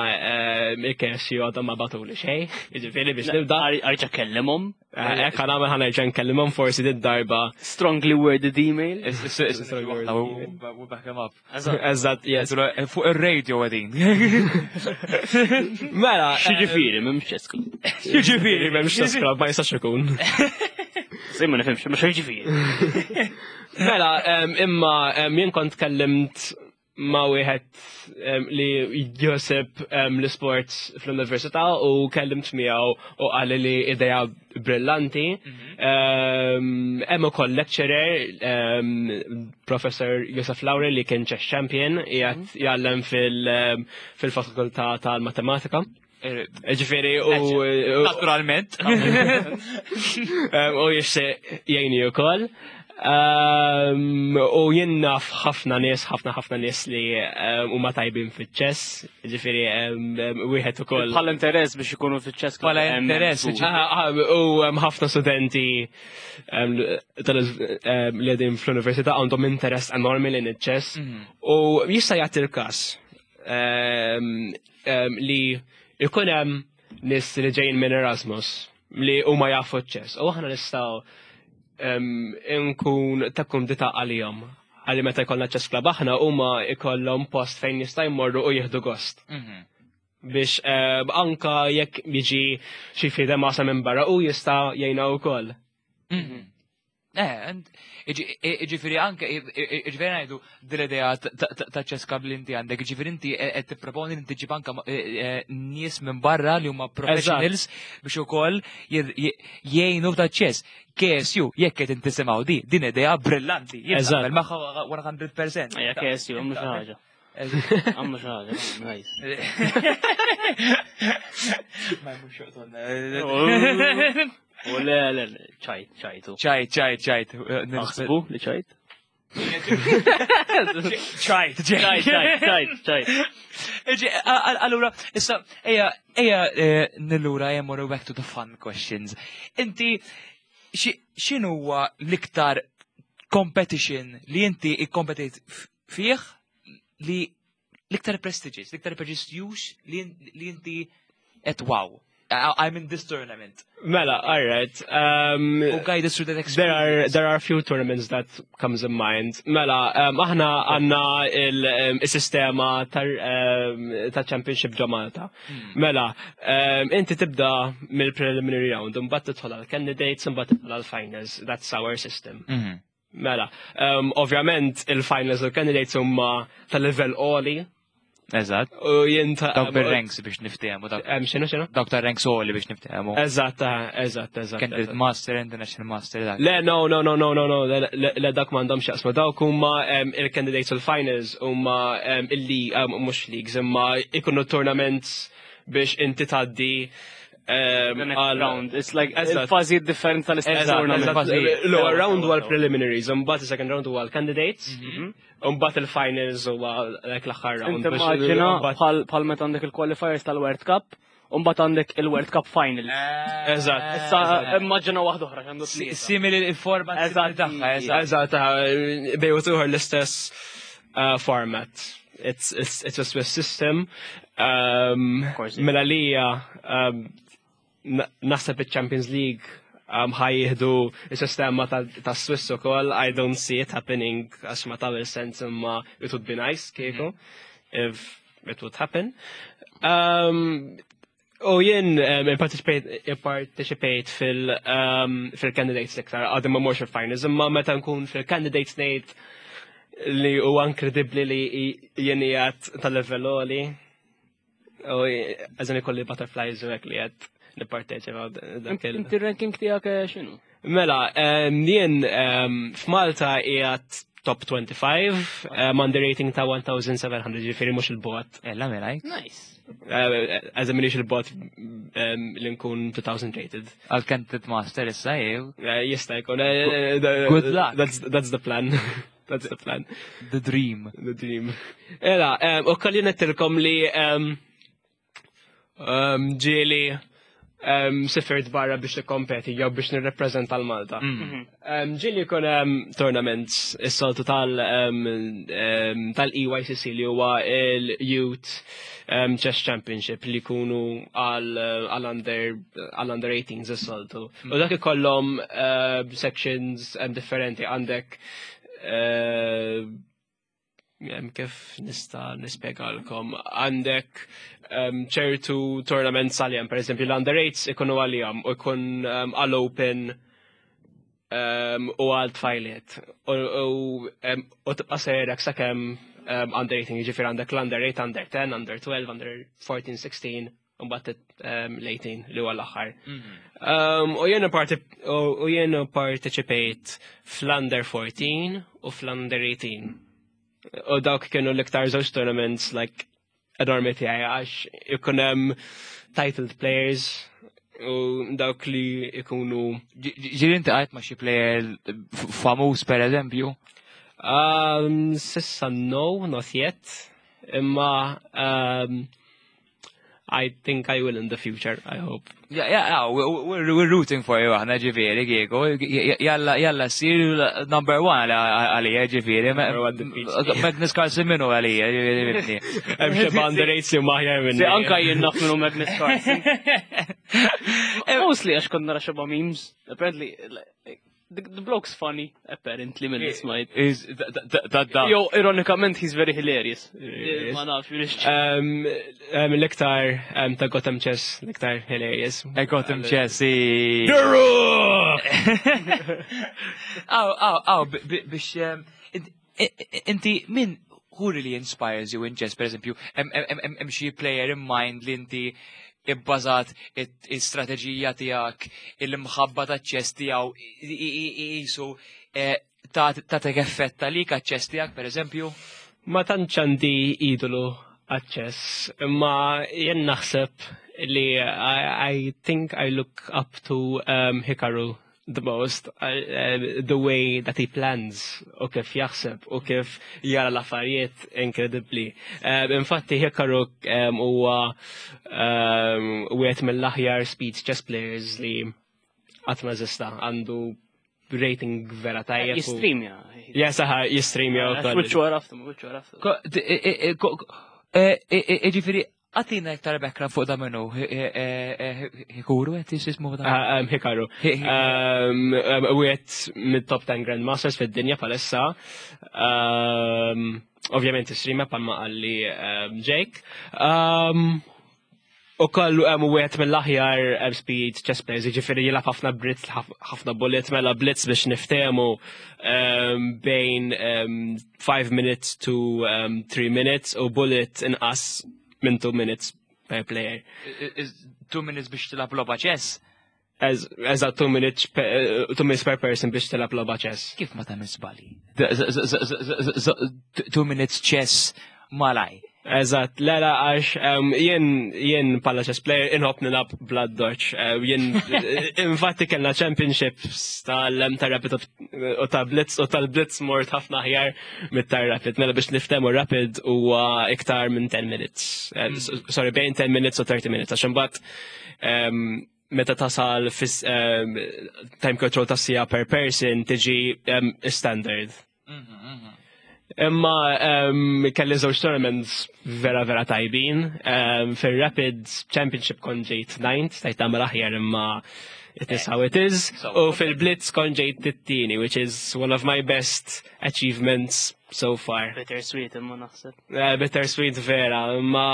S4: il-KSU għadhom ma bagħtuli xejn, jiġifieri biex nibda.
S3: Arġa' kellimhom.
S4: Hekk ħa nagħmel, ħa nerġa' nkellimhom forsi did-darba.
S3: Strongly worded email.
S4: Strongly worded email.
S2: We back him up.
S4: Eżatt, yes.
S2: Fuq ir-radio għedin.
S4: Mela,
S3: X'jiġifieri m'hemmx chess club.
S4: X'jiġifieri m'hemmx chess club, ma jistax ikun.
S3: Sej ma nifhimx, ma x'jiġifieri.
S4: Mela, imma jien kont kellimt ma' wieħed li jħossib l-sports fl-università u kellimt miegħu u qal li idea brillanti. Hemm ukoll lecturer, Professor Josef Lauri li kien chess champion, qiegħed jgħallem fil-fakultà tal-matematika. Ġifieri u
S2: Naturalment.
S4: U jixtieq jgħinni wkoll. U jien naf ħafna nies, ħafna ħafna nies li huma tajbin fiċ-chess, ġifieri wieħed ukoll.
S3: Bħala interess biex ikunu fiċ-chess.
S2: Bħala interess,
S4: U hemm ħafna studenti li qegħdin fl-università għandhom interess enormi lejn iċ-chess. U jista' jagħti l-każ li jkun hemm nies li ġejjin minn Erasmus li huma jafu ċ-chess. U aħna nistgħu nkun ta' kumdita għalihom. Għalli meta jkollna chess club aħna huma jkollhom post fejn jista' jmorru u jieħdu gost. Biex anka jekk jiġi xi FIDE master minn barra u jista' jgħinna wkoll.
S2: Ġifieri anke, ġifieri ngħidu dil-idea ta' chess club li inti għandek, ġifieri inti qed tipproponi li tiġib anke nies minn barra li huma professionals biex ukoll jgħinu ta' chess. KSU, jekk qed intisimgħu di, din idea brillanti. Jien naqbel magħha 100%.
S3: Ejja KSU, mhux ħaġa. Għamlu xi ħaġa, nice.
S2: Ma jmux joqtolna.
S3: U le, le, le, ċajt, ċajtu.
S2: ċajt, ċajt, ċajt.
S3: Naħsbu li ċajt?
S2: ċajt,
S3: ċajt, ċajt, ċajt.
S2: Allura, issa, eja, eja, nillura, eja morru back to the fun questions. Inti, x'inhuwa l-iktar competition li inti ikkompetit fih li l-iktar prestigious, l-iktar prestigious li inti et wow, I'm in this tournament.
S4: Mela, all right.
S2: U guide us through that
S4: There
S2: experience.
S4: are a few tournaments that comes in mind. Mela, aħna għandna il-sistema ta' Championship ġo Malta. Mela, inti tibda mill-preliminary round, mbagħad tidħol għal candidates, mbagħad tidħol għal finals. That's our system. Mela, ovvjament il-finals u candidates huma ta' level għoli.
S2: Eżatt.
S4: U jien ta'
S2: Dawk bir-ranks biex niftehmu, dawk.
S4: X'inhu, x'inhu?
S2: Dawk ta' ranks għoli biex niftehmu.
S4: Eżatt, eżatt, eżatt,
S2: Candidate
S4: eżatt.
S2: Master, International Master, dak.
S4: Le, no, no, no, no, no, no, le, le, le, dak m'għandhomx jaqsmu. Dawk huma il-candidates u l-finals huma il-li, mhux leagues, imma ikunu tournaments biex inti tgħaddi
S3: The next
S4: għal
S3: round. It's like
S4: Eżatt.
S3: il-fażi differenti tal-istess
S4: Eżatt,
S3: tournament.
S4: eżatt.
S2: Fażi.
S4: L-ewwel round huwa l-preliminaries, imbagħad is-second round huwa l-candidates, u mbagħad il-finals huwa like l-aħħar round.
S3: Inti
S4: biex
S3: immaġina
S4: imbagħad
S3: bħal meta għandek il-qualifiers tal-World Cup, u mbagħad għandek il-World Cup Final.
S4: Eżatt.
S3: Issa immaġina waħda oħra x'għandu tlieta.
S2: Simili il-format
S3: Eżatt.
S2: tagħha, eżatt.
S4: Eżatt, bejn u ieħor l-istess format. It's a Swiss system.
S3: course.
S4: Mela lija, naħseb il-Champions League ħa jieħdu il-sistema ta' Swiss ukoll. I don't see it happening għax ma tagħmel sens, imma it would be nice kieku if it would happen. U jien participate fil-candidates iktar, għadni ma morx fil-finals, imma meta nkun fil-candidates ngħid li huwa inkredibbli li jien qiegħed tal-level għoli. U għazin ikolli butterflies u hekk li qed nipparteċipa dak il-
S3: Inti ranking tiegħek x'inhu?
S4: Mela, jien f'Malta qiegħed top 25, għandi rating ta' 1700, ġifieri mhux il-bot.
S2: Ella mela,
S3: Nice.
S4: Għazem minix il-bot li nkun 2000 rated.
S2: Għal Candidate Master issa, jew.
S4: Jista' jkun.
S2: Good luck.
S4: That's the plan. That's the plan.
S2: The dream.
S4: The dream. Ela, u kolli nettilkom li ġieli sifirt barra biex nikkompeti jew biex nirrepreżenta l-Malta. Ġieli jkun hemm tournaments is-soltu tal-EYCC li huwa il-Youth Chess Championship li jkunu għal under 18s is-soltu. U dak ikollhom sections differenti għandek kif nista' nispjegalkom, għandek ċertu tournaments għalihom, per eżempju l-under 8s ikunu għalihom u jkun għal-open u għal tfajliet. U tibqa' sejrek sakemm under 18, jiġifieri għandek l-under 8, under 10, under 12, under 14, 16, u mbagħad l-18 li huwa l-aħħar. U jiena participate fl-under 14 u fl-under 18. U dawk kienu l-iktar żewġ tournaments like enormi tiegħi għax ikun hemm titled players u dawk li ikunu
S2: Ġieli inti għajt ma' xi player famuż per eżempju?
S4: S'issa no, not yet. Imma I think I will in the future, I hope.
S2: Yeah, yeah, yeah, we're rooting for you, aħna ġifieri, kieku. Jalla, jalla, sir number one għalija, ġifieri.
S4: Number one defeat.
S2: Magnus Carlsen minnu għalija, ġifieri.
S4: Hemm xi under eight si maħjar minni.
S3: Si anka jien naf minnu Magnus Carlsen. Mostly għax konna nara xeba memes. Apparently, like, The bloke's funny, apparently, mill smajt.
S2: Is da da.
S3: Yo, ironikament, he's very hilarious.
S4: Hilarious.
S3: Ma nafx, minix
S4: L-iktar ta' Gotham Chess, l-iktar hilarious.
S2: Gotham Chess. i-
S4: The Rock!
S2: Aw, aw, aw, biex inti min who really inspires you in chess, per eżempju, hemm xi player in mind li inti ibbażat it-strateġija tiegħek, il-mħabba ta' chess tiegħu jisu ta' effett għalik għaċ-chess tiegħek, per eżempju?
S4: Ma tantx għandi idolu għaċ-chess, imma jien naħseb li I think I look up to Hikaru the most, the way that he plans u kif jaħseb u kif jara l-affarijiet incredibly. Infatti Hikaru huwa wieħed mill-aħjar speed chess players li qatt ma eżista, għandu rating vera tajjeb.
S3: Jistreamja.
S4: Ja, saħa, jistreamja u kollox.
S3: Wiċċu għaraftu, wiċċu għaraftu.
S2: Ġifieri, għatina iktar background fuq da minnu, Hikuru, għet jismu da?
S4: Ah, Hikaru. Wieħed mid-top 10 Grandmasters fid-dinja palissa. Ovvjament streamer palma qalli Jake. U kollu wieħed mill-aħjar speed chess players, jiġifieri jilgħab ħafna blitz, ħafna bullet, mela blitz biex niftehmu bejn 5 minutes to 3 minutes u bullet inqas minn 2 minutes per player.
S2: 2 minutes biex tilgħab logħba chess?
S4: Eżatt, 2 minutes per, 2 minutes per person biex tilgħab logħba chess.
S2: Kif ma tagħmel żbali? 2 minutes chess malaj.
S4: Eżatt, le la għax jien pala chess player inħobb nilgħab bl-addoċċ. Jien infatti kellna championships tal ta' Rapid u ta' Blitz u tal-Blitz mort ħafna aħjar mit-ta' Rapid. Mela biex niftehmu Rapid huwa iktar minn 10 minutes. Sorry, bejn 10 minutes u 30 minutes. Għax imbagħad meta tasal fis time control ta' siegħa per person tiġi standard. Imma kelli żewġ tournaments vera vera tajbin. Fil-Rapid Championship kont ġejt ninth, stajt tagħmel aħjar imma it is how it is. U fil-Blitz kont ġejt it-tieni, which is one of my best achievements so far.
S3: Bittersweet imma naħseb.
S4: Bittersweet vera, imma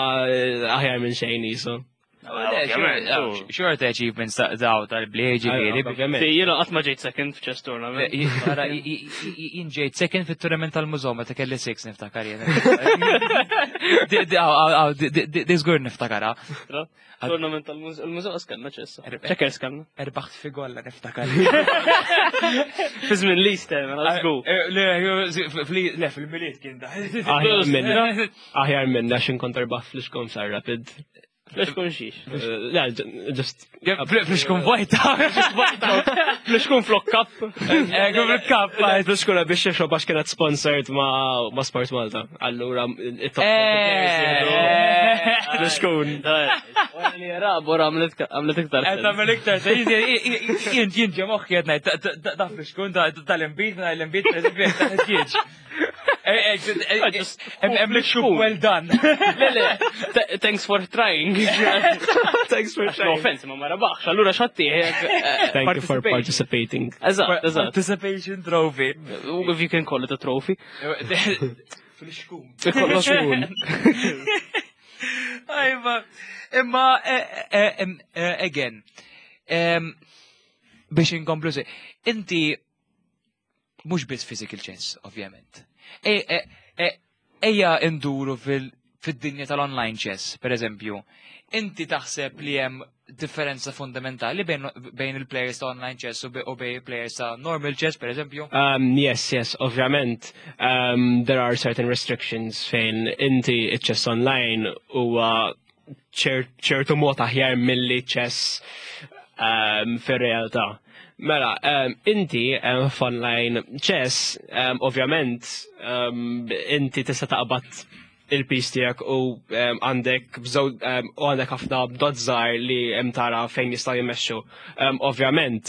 S4: aħjar minn xejn jisu.
S2: Short achievements ta' daw tal-bliet ġifieri.
S4: Ovvjament.
S3: Jiena qatt ma ġejt second f'chess tournament.
S2: Ara, jien ġejt second fit-tournament tal-mużew meta kelli six niftakar jien. Di żgur niftakara.
S3: Tournament tal-mużew, il-mużew skanna chess. Checkers kanna.
S2: Erbaħt figolla niftakar.
S3: Fi żmien l-Easter, mela let's go.
S2: Le, fil-Milied kien da.
S4: Aħjar minn aħjar minn għax inkont erbaħ flixkun sar Rapid.
S3: Flixkun xiex.
S4: Le, just
S2: Flixkun vojta.
S3: Flixkun flok cup.
S2: Kap.
S4: Flixkun biex xi għax kienet sponsored ma' Sport Malta. Allura, it-top Flixkun.
S3: Rabor għamlet iktar.
S2: Qed tagħmel iktar, jien ġe moħħi qed ngħid da flixkun tal-inbid, minn l-inbid pereżempju ta' ħġieġ. Hemm flixkun well done.
S3: Le, le, thanks for trying.
S4: Thanks for
S3: No
S4: trying.
S3: offense, ma ma rabaħx, allura xatti.
S4: Thank you for participating.
S3: Eżatt, eżatt.
S2: Participation trophy.
S3: If you can call it a trophy.
S2: Flixkun.
S3: Flixkun.
S2: Ajma, imma, again, biex inkomplu se, inti mhux biss physical chess, ovvjament. Ejja induru fil-dinja tal-online chess, per eżempju. Inti taħseb li hemm differenza fundamentali bejn il-players ta' online chess u bejn players ta' normal chess, per eżempju?
S4: Yes, ovvjament. There are certain restrictions fejn inti chess online huwa ċertu mod aħjar milli chess fir-realtà. Mela, inti f'online chess, ovvjament, inti tista' taqbad il-piece tiegħek u għandek u għandek ħafna dots żgħar li hemm tara fejn jistgħu jmexxu. Ovvjament,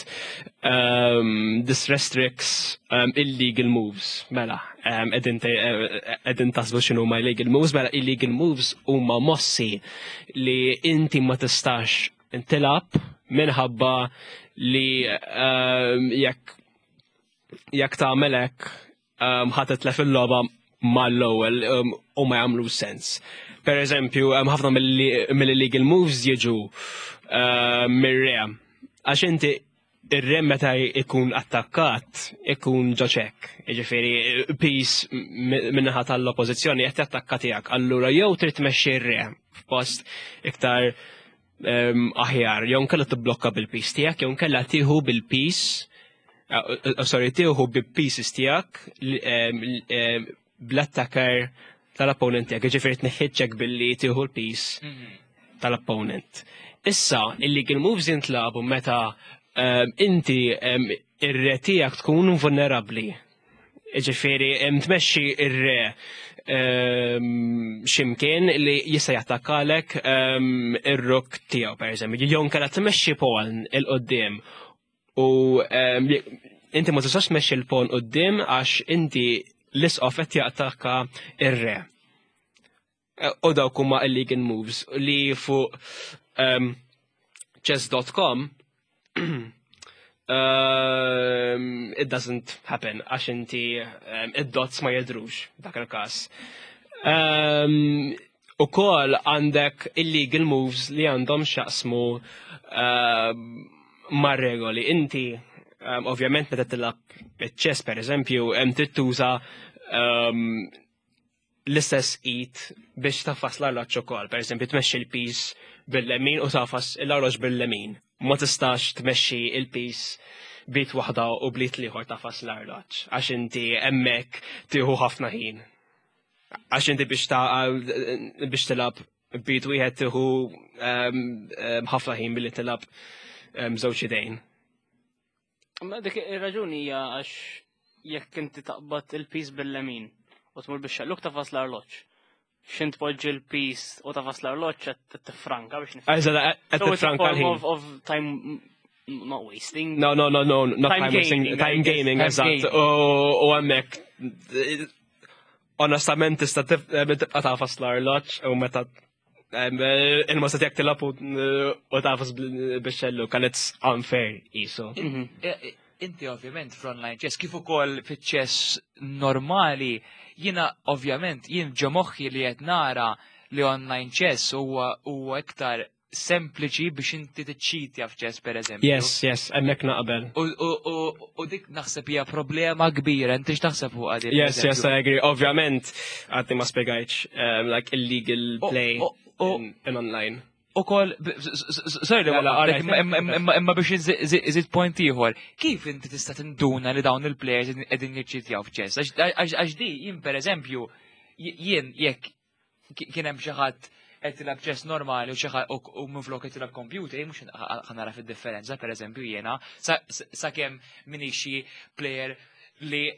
S4: this restricts illegal moves. Mela, qegħdin taħsbu x'inhu ma illegal moves, mela illegal moves huma mossi li inti ma tistax tilgħab minħabba li jekk jekk tagħmel hekk ħa titlef il-logħba mal-ewwel u ma jagħmlu sens. Per eżempju, ħafna mill-illegal moves jiġu mir-re. Għax inti ir-re meta ikun attakkat ikun ġo check. Jiġifieri piece min-naħa tal-oppożizzjoni qed jattakka tiegħek. Allura jew trid tmexxi r-re f'post iktar aħjar, jew nkella tibblokka bil-piece tiegħek, jew nkella tieħu bil-piece, sorry, tieħu bil-pieces tiegħek bl-attacker tal-opponent tiegħek, jiġifieri tneħħi billi tieħu l-piece tal-opponent. Issa, illegal moves jintlagħbu meta inti ir-re tiegħek tkun vulnerabbli. Ġifieri, tmexxi ir-re ximkien li jista' jattakkalek ir-rook tiegħu, per eżempju. Jew nkella tmexxi pawn 'il quddiem u inti ma tistax tmexxi l-pawn quddiem għax inti l-isqof qed jattakka ir-re. U dawk huma illegal moves li fuq chess.com it doesn't happen għax inti id-dots ma jidhrux dak il-kas. U kol għandek illegal moves li għandhom x'jaqsmu ma' regoli. Inti, ovvjament, meta tilgħab chess, per eżempju, trid tuża l-istess id biex tagħfas l-arloġġ ukoll. Per eżempju, tmexxi l-piece bil-lemin u tagħfas l-arloġġ bil-lemin. Ma tistax tmexxi il-piece b'id waħda u bl-id l-ieħor tagħfas l-arloġġ għax inti hemmhekk tieħu ħafna ħin. Għax inti biex tilgħab b'id wieħed tieħu ħafna ħin billi tilgħab żewġ idejn.
S3: Ma dik ir-raġuni hija għax jekk inti taqbad il-piece bil-lemin u tmur biex xelluk tagħfas l-arloġġ. X'int poġġi l-piece u tagħfas l-arloġġ qed tifranka biex nifhem.
S4: Eżatt, qed
S3: So it's a
S4: tifranka
S3: form
S4: l-ħin.
S3: of time not wasting.
S4: No, not
S3: Time
S4: time wasting,
S3: gaming, I
S4: time
S3: guess.
S4: gaming,
S2: Time
S4: eżatt.
S2: gaming.
S4: U hemmhekk, onestament, tista' tibqa' tagħfas l-arloġġ u meta il-mossa tiegħek tilgħab u tagħfas bix-xellug, kan it's unfair isu.
S2: Inti ovvjament fl-online chess, kif ukoll fiċ-chess normali, jiena ovvjament jien ġo moħħi li qed nara li online chess huwa iktar sempliċi biex inti tiċċitja f'chess, per eżempju.
S4: Yes, hemmhekk naqbel.
S2: U dik naħseb hija problema kbira, inti x'taħseb fuq għadi?
S4: Yes, I agree. Ovvjament, għadni ma spjegajtx, like illegal play in online.
S2: U kol, sorry li
S4: La, la,
S2: waqaftek,
S4: alright.
S2: imma biex iżid point ieħor, kif inti tista' tinduna li dawn il-players qegħdin jiċċitjaw f'chess? Għax di jien, per eżempju, jien jekk kien hemm xi ħadd qed tilgħab chess normali u xi ħadd u minflok qed tilgħab computer, jien mhux ħa nara fid-differenza, per eżempju, jiena sakemm minix xi player li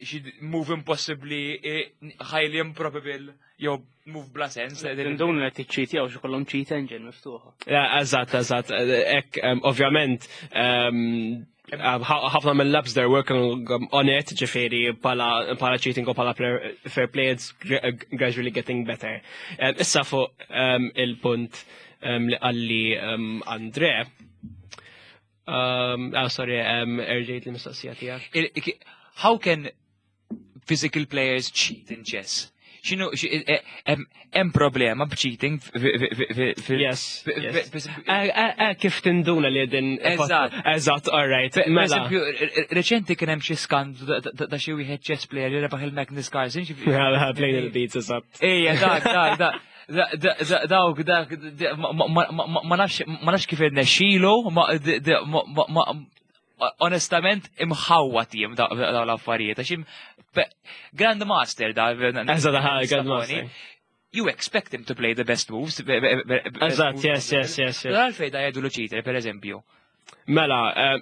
S2: xi move impossibbly, highly improbable, jew move bla sens.
S3: Tinduna li tiċċitjaw xi kollhom cheat engine miftuħa.
S4: Yeah, eżatt. Ek, ovvjament, ħafna mill-labs they're working on it, ġifieri pala cheating u pala fair play, it's gradually getting better. Issa fuq il-punt li qalli Andre, ah, sorry, erġajt li mistoqsija tiegħek.
S2: How can physical players cheat in chess? X'inhu, hemm problema b'cheating
S4: Yes. Kif tinduna li din?
S2: Eżatt.
S4: Eżatt, all right.
S2: Per
S4: Mela.
S2: eżempju, reċenti kien hemm xi skandlu ta' xi wieħed chess player li rebaħ il-Magnus Carlsen.
S4: Yeah, playing the beats, eżatt.
S2: Ejja, dak, dak, dak. Dawk, dak, ma nafx kif irnexxielu, onestament imħawwa tim daw l-affarijiet, għax Grandmaster da.
S4: Eżatt, aha, Grandmaster.
S2: You expect him to play the best moves.
S4: Eżatt, yes.
S2: Għalfejn da jgħidu cheater, per eżempju?
S4: Mela,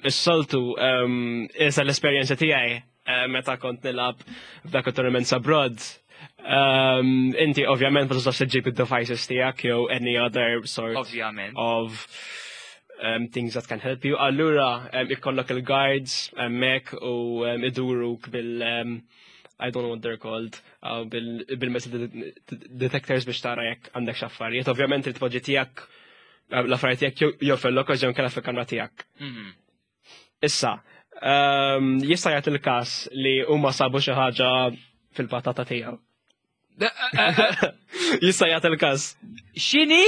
S4: is-soltu, issa l-esperjenza tiegħi meta kont nilgħab f'dak il-tournaments abroad, inti ovvjament ma tistax iġġib id-devices tiegħek jew any other sort
S2: Ovvjament.
S4: of things that can help you. Allura, ikollok il-guards hemmhekk u iduruk bil I don't know what they're called, bil-metal detectors biex tara jekk għandek x'affarijiet. Ovvjament il-tpoġġi tiegħek l-affarijiet tiegħek jew fil-locker jew kella fil-kamra tiegħek. Issa, Jista' jagħti il-każ li huma sabu xi ħaġa fil-patata tiegħu. Jista' jagħti il-każ.
S2: X'inhi?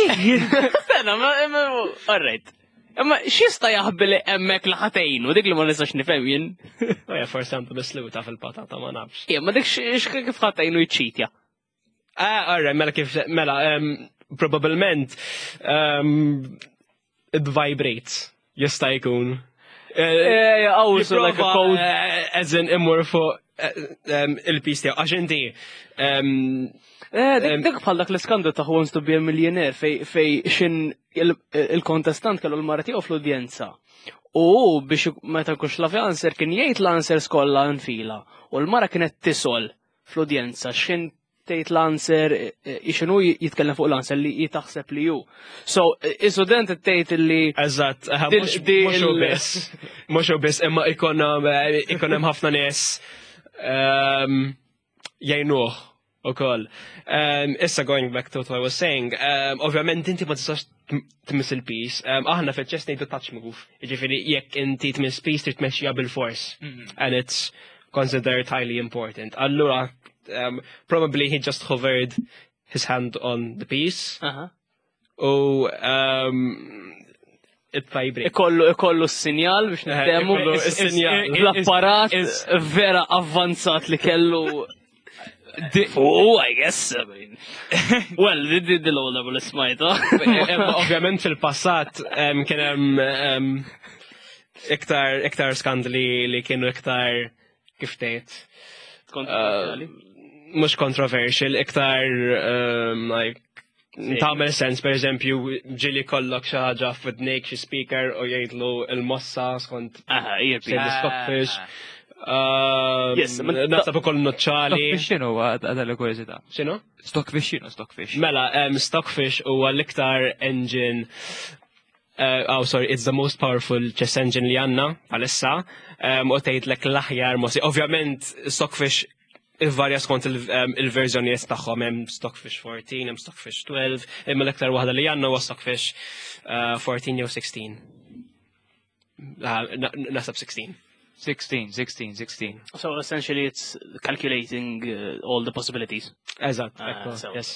S3: Sena, ma, alright. Imma x'jista' jaħbi li hemmhekk li ħatejnu, dik li ma nistax nifhem jien.
S4: Oja, forsi għandu misluta fil-patata, ma nafx.
S3: Ija, ma dik kif ħatejnu jċitja.
S4: Ah, alright, mela kif, mela, probabilment, it vibrates, jista' jkun.
S3: Oh, so like a code.
S4: As in, immur fuq il-piece tiegħu, għax inti,
S3: Dik bħal dak l-iskandlu ta' Who Wants to be a Millionaire fej xin il-kontestant kellu l-mara tiegħu fl-udjenza. U biex meta kux la answer kien jgħid l-answers kollha nfila. U l-mara kienet tisol fl-udjenza xin tgħid l-answer xinu jitkellem fuq l-answer li jitaħseb li ju. So, is-student tgħid li
S4: Eżatt, mhux u biss. Mhux u biss, imma ikun hemm ħafna nies jgħinuh ukoll. Issa going back to what I was saying, ovvjament inti ma tistax tmiss il-piece. Aħna fil-chess ngħidu touch move. Jiġifieri jekk inti tmiss piece trid tmexxiha bil-fors. And it's considered highly important. Allura, probably he just hovered his hand on the piece. U it vibrates.
S3: Ikollu s-sinjal biex niftehmu.
S4: Ikollu s-sinjal.
S3: L-apparat vera avvanzat li kellu. Oh, I guess, I mean. Well, di l-ewwel darba li smajta.
S4: Ovvjament fil-passat kien hemm iktar skandli li kienu iktar kif tgħid.
S3: Kontroversjali.
S4: Mhux controversial, iktar like tagħmel sens, per eżempju, ġieli kollok xi ħaġa f'widnejk xi speaker u jgħidlu il-mossa skont
S3: Aha, earpiece.
S4: xejn stockfish.
S3: Yes,
S4: Naħseb ukoll noċċali.
S2: Stockfish x'inhu għadha l-kurżità?
S4: X'inhu?
S2: Stockfish x'inhu stockfish?
S4: Mela, Stockfish huwa l-iktar engine oh, sorry, it's the most powerful chess engine li għandna għalissa, u tgħidlek l-aħjar mossi. Ovvjament, Stockfish varja skont il-verżjonijiet tagħhom, hemm Stockfish 14, hemm Stockfish 12, imma l-iktar waħda li għandna huwa Stockfish 14 jew 16. Naħseb 16.
S2: 16, 16, 16.
S3: So essentially it's calculating all the possibilities.
S4: Eżatt, ekku, yes.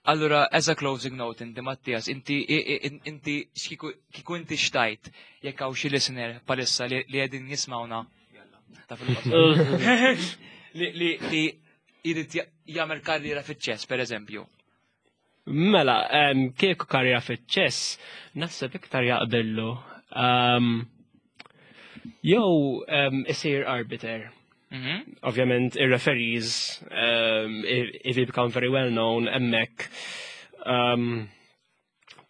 S2: Allura, as a closing note, inti Mattias, inti kiku inti xtajt, jekk hawn xi listener palissa li qegħdin jismawna, ta' fil-qosor. Li jrid jagħmel karriera fiċ-ċess, per eżempju.
S4: Mela, kieku karriera fiċ-ċess, naħseb iktar jaqbillu. Jew isir arbiter. Ovvjament, ir-referees, if you become very well known, hemmhekk,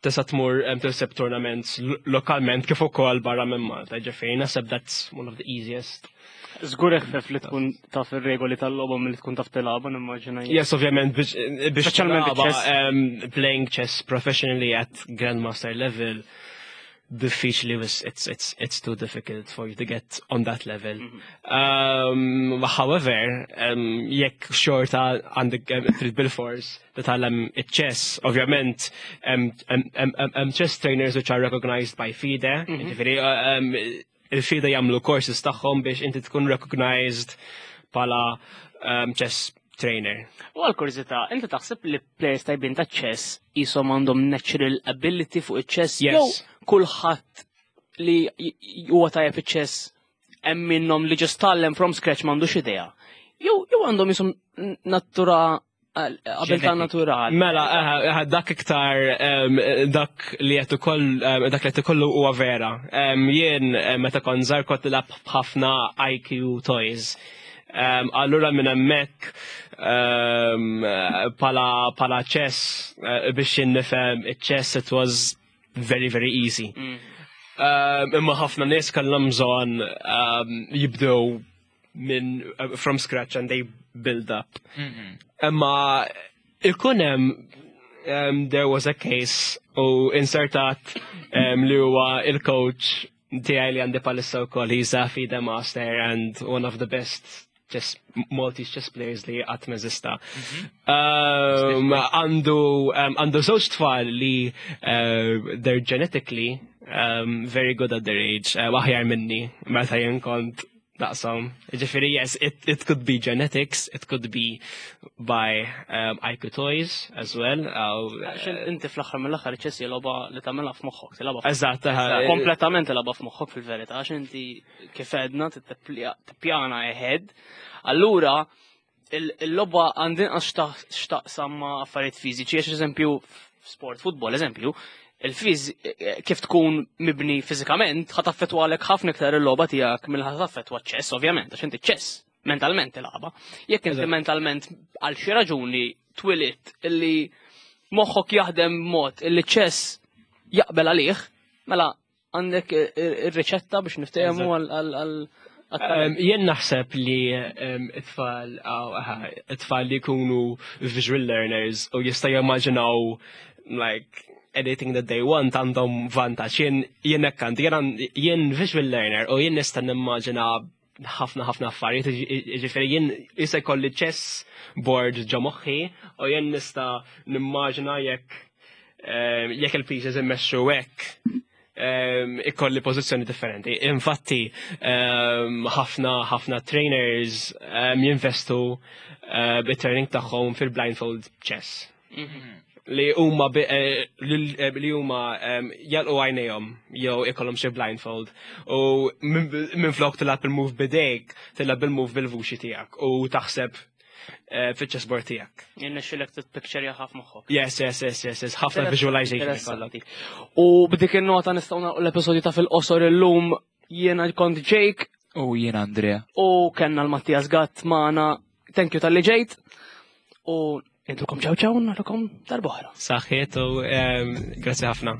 S4: tista' tmur tilseb tournaments lokalment kif ukoll barra minn Malta, ġifieri naħseb that's one of the easiest.
S3: Żgur eħfef li tkun taf ir-regoli tal-logħba milli tkun taf tilgħabha, nimmaġina jien.
S4: Yes, ovvjament biex
S3: Speċjalment
S4: tilgħabha,
S3: chess.
S4: Playing chess professionally at grandmaster level, diffiċli was it's too difficult for you to get on that level. However, jekk xorta għandek trid bil-fors titgħallem iċ-chess, ovvjament chess trainers which are recognized by FIDE, ġifieri, il-FIDE jagħmlu courses tagħhom biex inti tkun recognized bħala chess trainer.
S3: U għal-kurżità, inti taħseb li players tajbin ta' chess jisom għandhom natural ability fuq iċ-chess?
S4: Yes.
S3: Jew kulħadd li huwa tajjeb iċ-chess hemm minnhom li ġust tgħallem from scratch m'għandux idea. Jew għandhom jisom natura abilità
S2: Genetic.
S3: naturali.
S4: Mela, dak iktar, dak li qed ukoll, dak li qed ikollu huwa vera. Jien, meta kont żgħar kont nilgħab ħafna IQ toys. Allura minn hemmhekk, pala chess, biex jien nifhem iċ-chess it was very, very easy. Imma ħafna nies kellhom bżonn jibdew minn from scratch and they build up. Imma ikun hemm, there was a case u insertat li huwa il-coach tiegħi li għandi palissa wkoll, he's a FIDE master and one of the best chess, Maltese chess players li qatt m'eżista. Għandu żewġ tfal li they're genetically Very good at their age, aħjar minni, meta jien kont daqshom. Ġifieri, yes, it could be genetics, it could be by IQ toys as well.
S3: Għax inti fl-aħħar mill-aħħar ċess logħba li tagħmilha f'moħħok, tilgħabha
S4: Eżatt,
S3: kompletament tilgħabha f'moħħok fil-verità, għax inti kif għedna tippjana ahead. Allura il-logħba għandin għax x'taqsam ma' affarijiet fiżiċi, għax eżempju f'sport futbol, eżempju, il-fiż kif tkun mibni fiżikament ħa taffettwalek ħafna iktar il-logħba tiegħek mill ħa taffettwa ċess, ovvjament, għax inti ċess mentalment tilgħabha. Jekk inti mentalment għal xi raġuni twilit illi moħħok jaħdem mod illi ċess jaqbel għalih, mela għandek ir-riċetta biex niftehmu għal
S4: Jien naħseb li it-tfal li jkunu visual learners u jista' jimmaġinaw like anything that they want għandhom vantaġġ. Jien hekk għandi, jien visual learner u jien nista' nimmaġina ħafna ħafna affarijiet, ġifieri jien jista' jkolli chess board ġo moħħi u jien nista' nimmaġina jekk il-pieces immexxu hekk ikolli pożizzjoni differenti. Infatti, ħafna ħafna trainers jinvestu bit-training tagħhom fil-blindfold chess. Li huma li huma jalqu għajnejhom jew ikollhom xi blindfold u minn flok tilgħab il-move bidejk, tilgħab il-move bil-vuċi tiegħek u taħseb fiċ-chessboard tiegħek.
S3: Jirnexxilek titpicture ħafna moħħok.
S4: Yes, ħafna visualization
S3: Interessanti. U b'dik il-nota nistgħu nagħlqu l-episodju ta' fil-qosor illum. Jiena kont Jake.
S2: U jiena Andrea.
S3: U kellna l-Mattias Gatt magħna. Thank you talli ġejt. U intukom ċaw ċaw, narakom darb'oħra.
S4: Saħħiet u grazzi ħafna.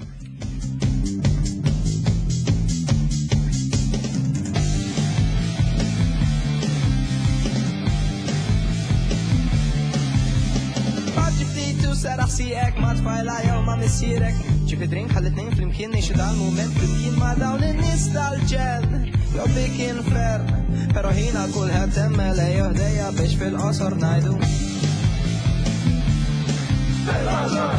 S1: Seraħ sieqek ma' tfajla jew ma' missierek. Ġib drink ħalli tnejn flimkien ngħixu dal-mument flimkien ma' dawn in-nies tal-ġenn. Jew dik infern, però ħina kulħadd emmel ejjew ħdejja biex fil-qosor ngħidu. Fil-qosor!